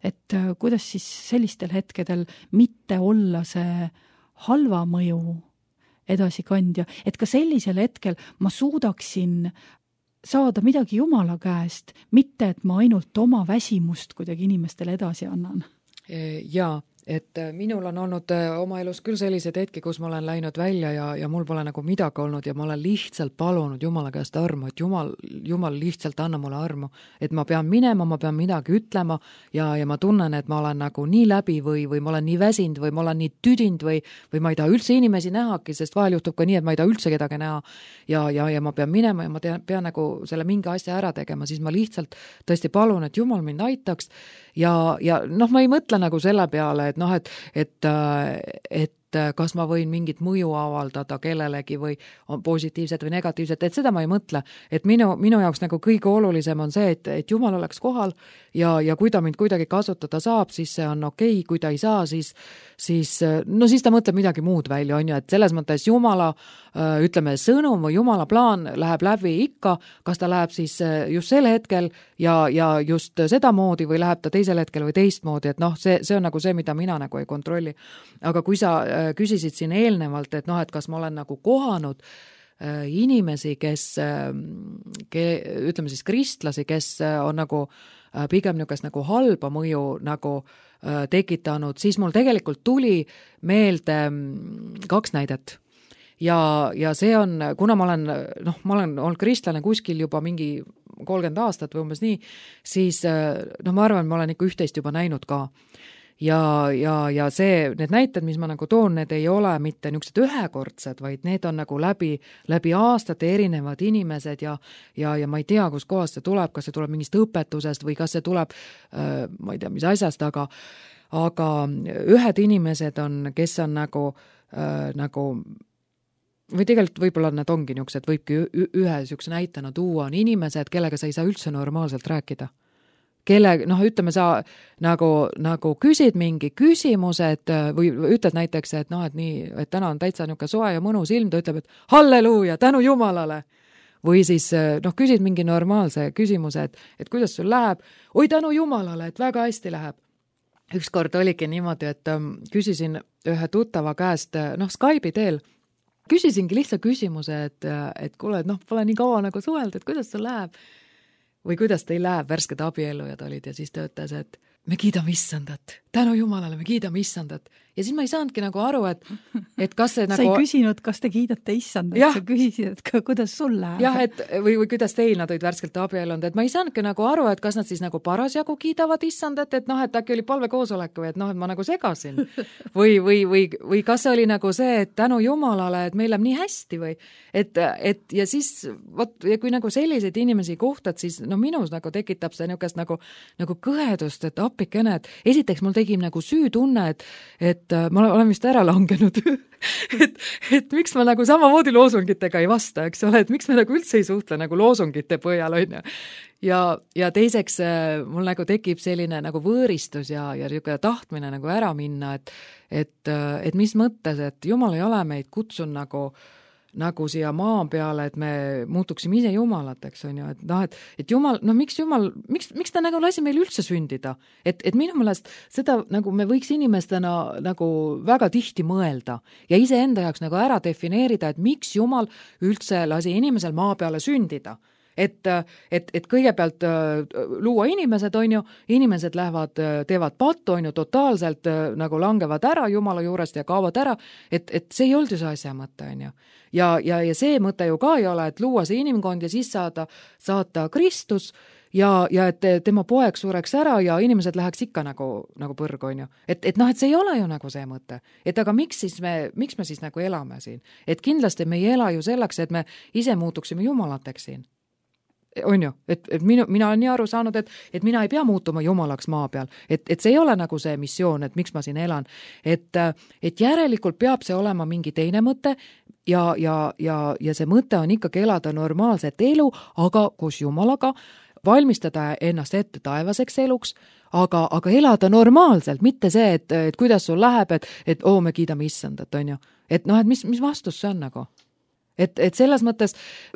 Et kuidas siis sellistel hetkedel mitte olla see halva mõju edasikandja, et ka sellisel hetkel ma suudaksin saada midagi Jumala käest, mitte et ma ainult oma väsimust kuidagi inimestele edasi annan. Jaa. Et minul on olnud oma elus küll sellised hetki, kus ma olen läinud välja ja, ja mul pole nagu midagi olnud ja ma olen lihtsalt palunud Jumala käest armu, et Jumal, Jumal lihtsalt anna mulle armu, et ma pean minema, ma pean midagi ütlema ja, ja ma tunnen, et ma olen nagu nii läbi või, või ma olen nii väsinud või ma olen nii tüdinud või, või ma ei taha üldse inimesi nähagi, sest vahel juhtub ka nii, et ma ei taha üldse kedagi näha ja, ja, ja ma pean minema ja ma tean, pean nagu selle mingi asja ära tegema, siis ma lihtsalt tõesti palun, et Jumal mind aitaks ja, ja noh, ma ei mõtle nagu selle peale, et noh, et, et, et kas ma võin mingit mõju avaldada kellelegi või on positiivset või negatiivset, et seda ma ei mõtle. Et minu, minu jaoks nagu kõige olulisem on see, et, et Jumal oleks kohal ja, ja kui ta mind kuidagi kasutada saab, siis see on okei, kui ta ei saa, siis, siis, no siis ta mõtleb midagi muud välja, on ju, et selles mõttes Jumala, ütleme, sõnum või Jumala plaan läheb läbi ikka, kas ta läheb siis just sel hetkel ja, ja just seda moodi või läheb ta teisel hetkel või teistmoodi, et noh, see, see on nagu see, mida mina nagu ei kontrolli. Aga kui sa küsisid siin eelnevalt, et noh, et kas ma olen nagu kohanud äh, inimesi, kes äh, ke, ütleme siis kristlasi, kes äh, on nagu pigem niisugust nagu halba mõju nagu äh, tekitanud, siis mul tegelikult tuli meelde kaks näidet. Ja, ja see on, kuna ma olen, noh, ma olen olnud kristlane kuskil juba mingi kolmkümmend aastat või umbes nii, siis noh, ma arvan, ma olen ikka üht-teist juba näinud ka. Ja, ja, ja see, need näited, mis ma nagu toon, need ei ole mitte niisugused ühekordsed, vaid need on nagu läbi, läbi aastate erinevad inimesed ja, ja, ja ma ei tea, kus kohast see tuleb, kas see tuleb mingist õpetusest või kas see tuleb, ma ei tea, mis asjast, aga, aga ühed inimesed on, kes on nagu, nagu või tegelikult võib-olla need ongi niisugused, võibki ühe niisuguse näitena tuua, on inimesed, kellega sa ei saa üldse normaalselt rääkida. Kelle, noh, ütleme sa nagu, nagu küsid mingi küsimused või ütled näiteks, et noh, et nii, et täna on täitsa niisugune soe ja mõnus ilm, ta ütleb, et halleluuja, tänu Jumalale. Või siis, noh, küsid mingi normaalse küsimuse, et, et kuidas sul läheb, oi tänu Jumalale, et väga hästi läheb. Ükskord oligi niimoodi, et küsisin ühe tuttava käest, noh, Skype'i teel, küsisingi lihtsa küsimuse, et, et kuule, et noh, pole nii kaua nagu suhelda, et kuidas sul läheb või kuidas teil läheb, värsked abiellujad olid ja siis ta ütles, et me kiidame issandat, tänu Jumalale, me kiidame issandat. Ja siis ma ei saanudki nagu aru, et, et kas see nagu... Sa ei küsinud, kas te kiidate issandat, sa küsisid, et ka, kuidas sul läheb. Jah, et või, või kuidas teil nad olid värskelt abiellunud, et ma ei saanudki nagu aru, et kas nad siis nagu parasjagu kiidavad issandat, et noh, et äkki oli palvekoosolek või et noh, et ma nagu segasin. Või, või, või, või kas see oli nagu see, et tänu Jumalale, et meil läheb nii hästi või et, et ja siis, võt, ja kui nagu selliseid inimesi kohtad, siis no minus nagu tekitab see niisugust nagu, nagu kõhedust, et appikene, et esiteks mul tegi nagu süütunne, et, et ma olen vist ära langenud, et, et miks ma nagu samamoodi loosungitega ei vasta, eks ole, et miks me nagu üldse ei suhtle nagu loosungite põhjal, on ju. Ja, ja teiseks mul nagu tekib selline nagu võõristus ja, ja niisugune tahtmine nagu ära minna, et, et, et mis mõttes, et Jumal ei ole meid kutsun nagu nagu siia maa peale, et me muutuksime ise Jumalateks, on ju, et noh, et, et Jumal, no miks Jumal, miks, miks ta nagu lasi meil üldse sündida? Et, et minu meelest seda nagu me võiks inimestena nagu väga tihti mõelda ja iseenda jaoks nagu ära defineerida, et miks Jumal üldse lasi inimesel maa peale sündida. Et, et, et kõigepealt luua inimesed, on ju, inimesed lähevad, teevad pattu, on ju, totaalselt nagu langevad ära Jumala juurest ja kaovad ära, et, et see ei olnud ju see asja mõte, on ju. Ja, ja, ja see mõte ju ka ei ole, et luua see inimkond ja siis saada, saata Kristus ja, ja et tema poeg sureks ära ja inimesed läheks ikka nagu, nagu põrg, on ju. Et, et noh, et see ei ole ju nagu see mõte. Et aga miks siis me, miks me siis nagu elame siin? Et kindlasti me ei ela ju selleks, et me ise muutuksime Jumalateks siin. On ju, et, et minu, mina olen nii aru saanud, et, et mina ei pea muutuma Jumalaks maa peal, et, et see ei ole nagu see missioon, et miks ma siin elan, et, et järelikult peab see olema mingi teine mõte ja, ja, ja, ja see mõte on ikkagi elada normaalset elu, aga koos Jumalaga, valmistada ennast ette taevaseks eluks, aga, aga elada normaalselt, mitte see, et, et kuidas sul läheb, et, et oo, me kiidame issandat, on ju, et noh, et mis, mis vastus see on nagu? Et, et selles mõttes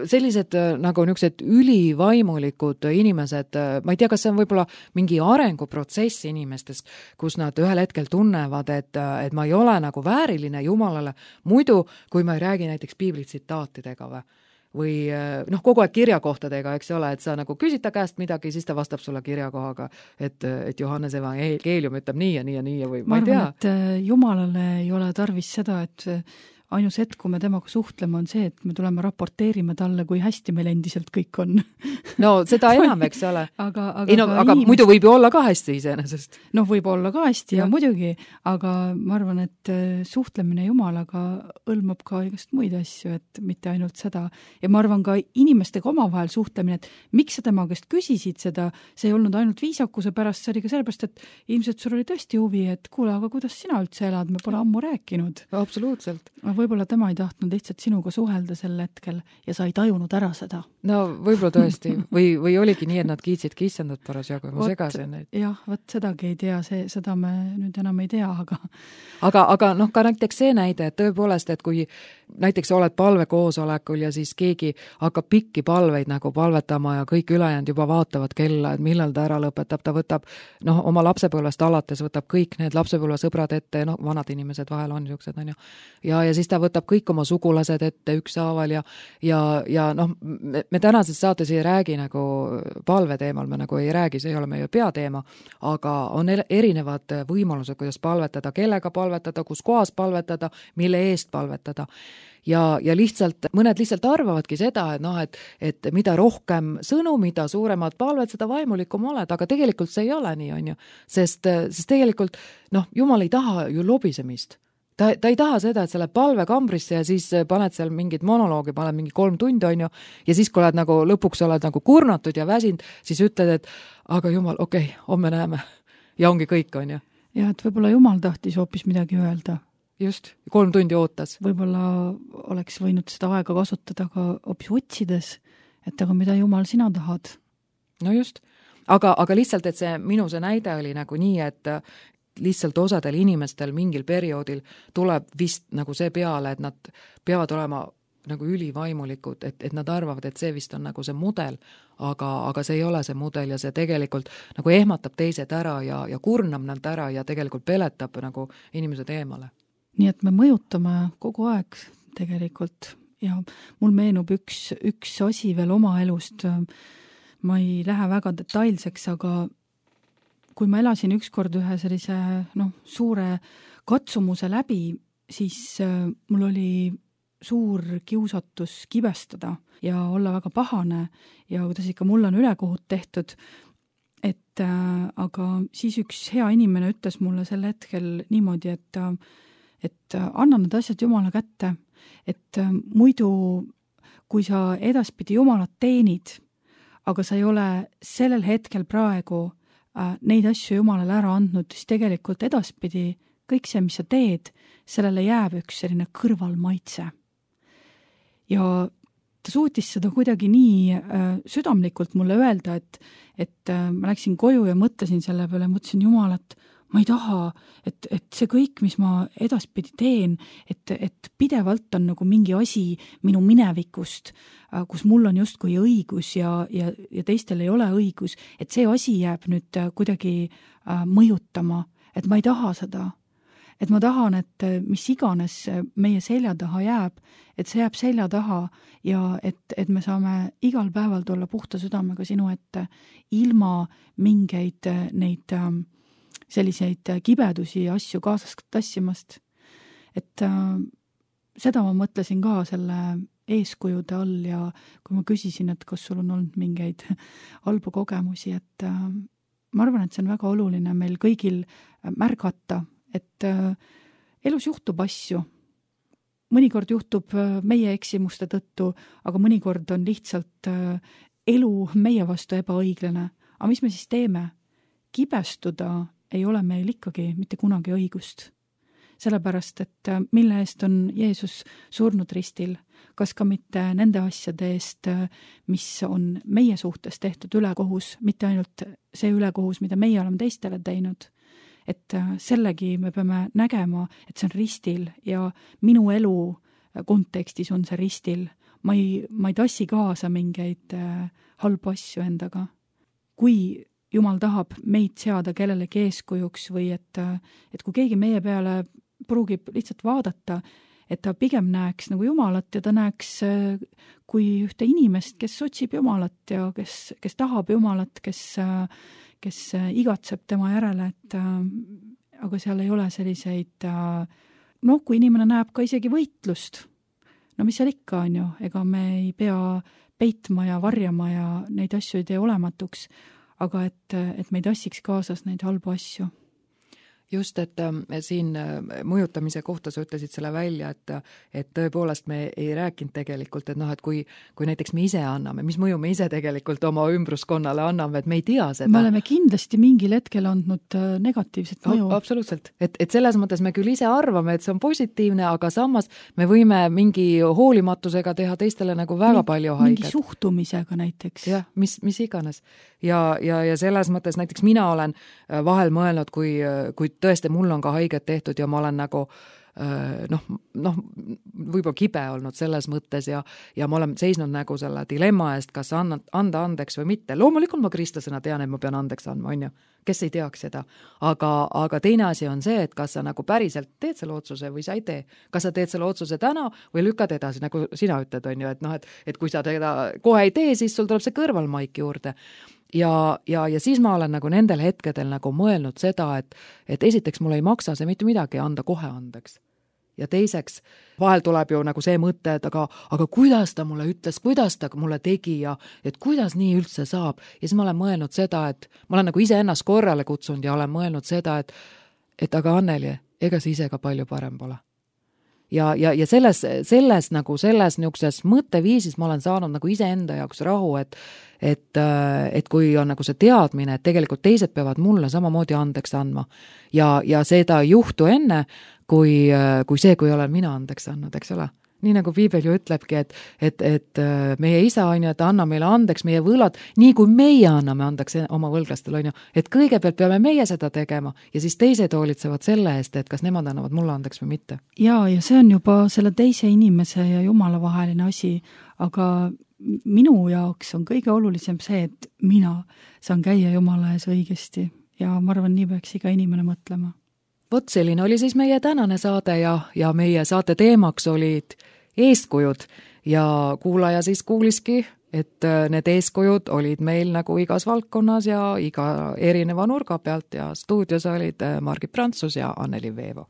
sellised nagu niisugused ülivaimulikud inimesed, ma ei tea, kas see on võib-olla mingi arenguprotsess inimestes, kus nad ühel hetkel tunnevad, et, et ma ei ole nagu vääriline Jumalale, muidu kui ma ei räägi näiteks piiblitsitaatidega või, või noh, kogu aeg kirjakohtadega, eks ole, et sa nagu küsid ta käest midagi, siis ta vastab sulle kirjakohaga, et, et Johannes evangeelium ütleb nii ja nii ja nii ja või ma, ma ei tea. Ma arvan, et Jumalale ei ole tarvis seda, et ainus hetk, kui me temaga suhtleme, on see, et me tuleme raporteerime talle, kui hästi meil endiselt kõik on. No seda enam, eks ole. aga aga, ei, no, aga inimest... muidu võib ju olla ka hästi iseenesest. Noh, võib olla ka hästi ja, ja muidugi, aga ma arvan, et suhtlemine Jumalaga hõlmab ka igast muid asju, et mitte ainult seda. Ja ma arvan ka inimestega omavahel suhtlemine, et miks sa tema käest küsisid seda, see ei olnud ainult viisakuse pärast, see oli ka sellepärast, et ilmselt sul oli tõesti huvi, et kuule, aga kuidas sina üldse elad, me pole ammu rääkinud. Absoluutselt. Võib-olla tema ei tahtnud lihtsalt sinuga suhelda sel hetkel ja sa ei tajunud ära seda. No võib-olla tõesti. Või, või oligi nii, et nad kiitsidki issandat parasjagu ja ma segasin neid. Jah, võt sedagi ei tea, see, seda me nüüd enam ei tea, aga... Aga, aga noh, ka näiteks see näide, et tõepoolest, et kui näiteks oled palvekoosolekul ja siis keegi hakkab pikki palveid nagu palvetama ja kõik ülejäänud juba vaatavad kella, et millal ta ära lõpetab, ta võtab, noh, oma lapsepõlvest alates võtab kõik need lapsepõlvesõbrad ette, noh, vanad inimesed vahel on niisugused, on ju. Ja, ja siis siis ta võtab kõik oma sugulased ette ükshaaval ja ja, ja noh, me, me tänases saates ei räägi nagu palve teemal, me nagu ei räägi, see ei ole meie peateema, aga on erinevad võimalused, kuidas palvetada, kellega palvetada, kus kohas palvetada, mille eest palvetada. Ja, ja lihtsalt, mõned lihtsalt arvavadki seda, et noh, et, et mida rohkem sõnu, mida suuremad palved, seda vaimulikum oled, aga tegelikult see ei ole nii, on ju. Sest, sest tegelikult, noh, Jumal ei taha ju lobisemist. Ta, ta ei taha seda, et sa lähed palvekambrisse ja siis paned seal mingit monoloogi, paned mingi kolm tundi, on ju, ja siis, kui oled nagu, lõpuks oled nagu kurnatud ja väsinud, siis ütled, et aga Jumal, okei, okay, homme näeme. Ja ongi kõik, on ju. Ja, et võib-olla Jumal tahtis hoopis midagi öelda. Just, kolm tundi ootas. Võib-olla oleks võinud seda aega kasutada ka hoopis otsides, et aga mida Jumal sina tahad? No just, aga, aga lihtsalt, et see minu see näide oli nagu nii, et lihtsalt osadel inimestel mingil perioodil tuleb vist nagu see peale, et nad peavad olema nagu ülivaimulikud, et, et nad arvavad, et see vist on nagu see mudel, aga, aga see ei ole see mudel ja see tegelikult nagu ehmatab teised ära ja, ja kurnab nad ära ja tegelikult peletab nagu inimesed eemale. Nii et me mõjutame kogu aeg tegelikult ja mul meenub üks, üks asi veel oma elust, ma ei lähe väga detailseks, aga kui ma elasin ükskord ühe sellise noh, suure katsumuse läbi, siis mul oli suur kiusatus kibestada ja olla väga pahane ja kuidas ikka mul on ülekohut tehtud, et äh, aga siis üks hea inimene ütles mulle sel hetkel niimoodi, et, et anna need asjad Jumala kätte, et äh, muidu kui sa edaspidi Jumalat teenid, aga sa ei ole sellel hetkel praegu neid asju Jumalale ära andnud, siis tegelikult edaspidi kõik see, mis sa teed, sellele jääb üks selline kõrvalmaitse. Ja ta suutis seda kuidagi nii äh, südamlikult mulle öelda, et, et äh, ma läksin koju ja mõtlesin selle peale, mõtlesin Jumal, et ma ei taha, et, et see kõik, mis ma edaspidi teen, et, et pidevalt on nagu mingi asi minu minevikust, kus mul on justkui õigus ja, ja, ja teistel ei ole õigus, et see asi jääb nüüd kuidagi mõjutama, et ma ei taha seda. Et ma tahan, et mis iganes meie selja taha jääb, et see jääb selja taha ja et, et me saame igal päeval tulla puhta südamega sinu ette ilma mingeid neid selliseid kibedusi ja asju kaasas tassimast. Et äh, seda ma mõtlesin ka selle eeskujude all ja kui ma küsisin, et kas sul on olnud mingeid halbu kogemusi, et äh, ma arvan, et see on väga oluline meil kõigil märgata, et äh, elus juhtub asju. Mõnikord juhtub äh, meie eksimuste tõttu, aga mõnikord on lihtsalt äh, elu meie vastu ebaõiglane. Aga mis me siis teeme? Kibestuda ei ole meil ikkagi mitte kunagi õigust. Sellepärast, et mille eest on Jeesus surnud ristil, kas ka mitte nende asjade eest, mis on meie suhtes tehtud ülekohus, mitte ainult see ülekohus, mida meie oleme teistele teinud. Et sellegi me peame nägema, et see on ristil ja minu elu kontekstis on see ristil. Ma ei, ma ei tassi kaasa mingeid halbu asju endaga. Kui Jumal tahab meid seada kellelegi eeskujuks või et, et kui keegi meie peale pruugib lihtsalt vaadata, et ta pigem näeks nagu Jumalat ja ta näeks kui ühte inimest, kes otsib Jumalat ja kes, kes tahab Jumalat, kes, kes igatseb tema järele, et aga seal ei ole selliseid, noh, kui inimene näeb ka isegi võitlust, no mis seal ikka on ju, ega me ei pea peitma ja varjama ja neid asju ei tee olematuks, aga et, et me ei tassiks kaasas neid halbu asju. Just, et äh, siin mõjutamise kohta sa ütlesid selle välja, et, et tõepoolest me ei rääkinud tegelikult, et noh, et kui, kui näiteks me ise anname, mis mõju me ise tegelikult oma ümbruskonnale anname, et me ei tea seda. Me oleme kindlasti mingil hetkel andnud negatiivset mõju. A, absoluutselt, et, et selles mõttes me küll ise arvame, et see on positiivne, aga samas me võime mingi hoolimatusega teha teistele nagu väga mingi, palju haiget. Mingi suhtumisega näiteks. Jah, mis, mis iganes. Ja, ja, ja selles mõttes näiteks mina olen vahel mõelnud, kui, kui tõesti mul on ka haiget tehtud ja ma olen nagu noh, noh, võib-olla kibe olnud selles mõttes ja, ja ma olen seisnud nagu selle dilemma eest, kas anda, anda andeks või mitte. Loomulikult ma kristlasena tean, et ma pean andeks andma, on ju, kes ei teaks seda. Aga, aga teine asi on see, et kas sa nagu päriselt teed selle otsuse või sa ei tee. Kas sa teed selle otsuse täna või lükkad edasi, nagu sina ütled, on ju, et noh, et, et kui sa teda kohe ei tee, siis sul tuleb see kõrvalmaik juurde. Ja, ja, ja siis ma olen nagu nendel hetkedel nagu mõelnud seda, et, et esiteks mul ei maksa see mitte midagi anda kohe andeks. Ja teiseks, vahel tuleb ju nagu see mõte, et aga, aga kuidas ta mulle ütles, kuidas ta mulle tegi ja et kuidas nii üldse saab. Ja siis ma olen mõelnud seda, et ma olen nagu ise ennast korrale kutsunud ja olen mõelnud seda, et, et aga Anneli, ega see ise ka palju parem pole. Ja, ja, ja selles, selles nagu selles niisuguses mõtteviisis ma olen saanud nagu ise enda jaoks rahu, et, et, et kui on nagu see teadmine, et tegelikult teised peavad mulle samamoodi andeks andma ja, ja seda ei juhtu enne, kui, kui see, kui olen mina andeks andnud, eks ole. Nii nagu Piibel ju ütlebki, et, et, et meie isa on ju, et anna meile andeks meie võlad, nii kui meie anname andeks oma võlglastel, on ju, et kõigepealt peame meie seda tegema ja siis teised hoolitsevad selle eest, et kas nemad annavad mulle andeks või mitte. Ja, ja see on juba selle teise inimese ja Jumala vaheline asi, aga minu jaoks on kõige olulisem see, et mina saan käia Jumala ees õigesti ja ma arvan, nii peaks iga inimene mõtlema. Vot selline oli siis meie tänane saade ja, ja meie saate teemaks olid eeskujud ja kuulaja siis kuuliski, et need eeskujud olid meil nagu igas valdkonnas ja iga erineva nurga pealt ja stuudios olid Margit Prantsus ja Anneli Veevo.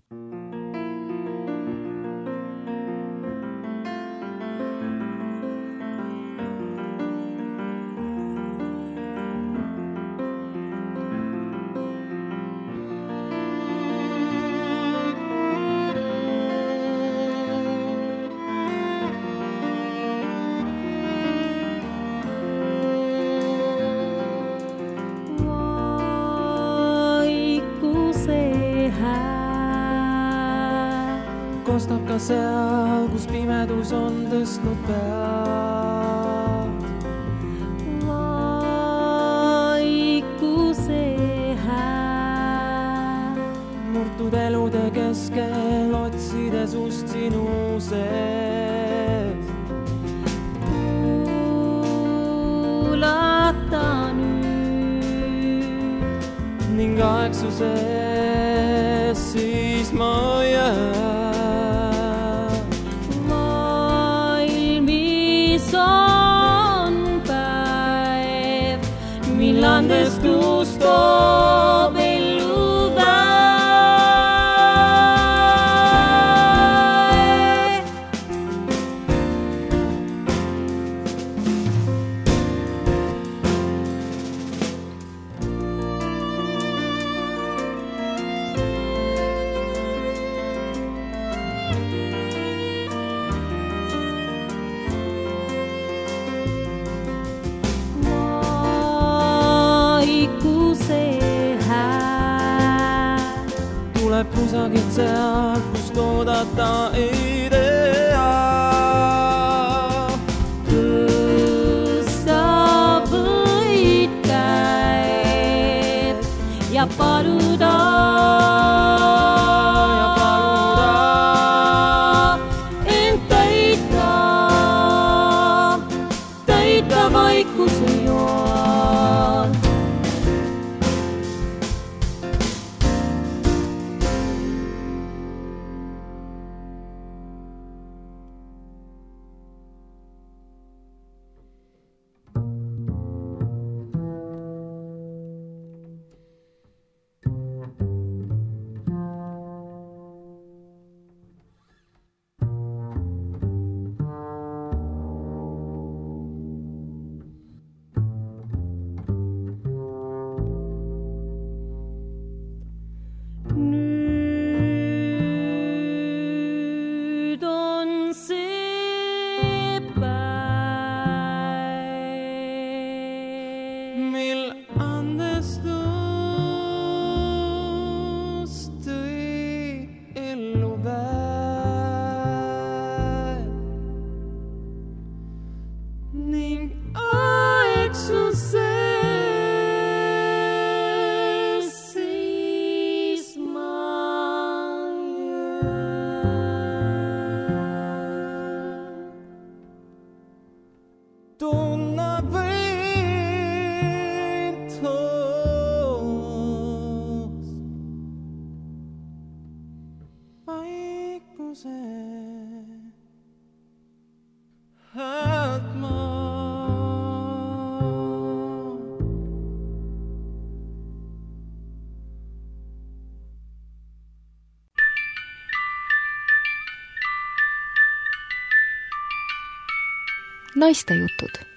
Kostab ka seal, kus pimedus on tõstnud pead. Vaikuse hääl. Murtud elude keskel otsides ust sinu sees. Kuulata nüüd. Ning aegsuses siis ma jään. Millandes tuus toob ellu väe. Tuleb kusagilt seal, kust oodata ei tea. Tõsta võid käed ja paluda, ja paluda ent täita, täita vaikuse joon. vaikuse häält ma. Naistejutud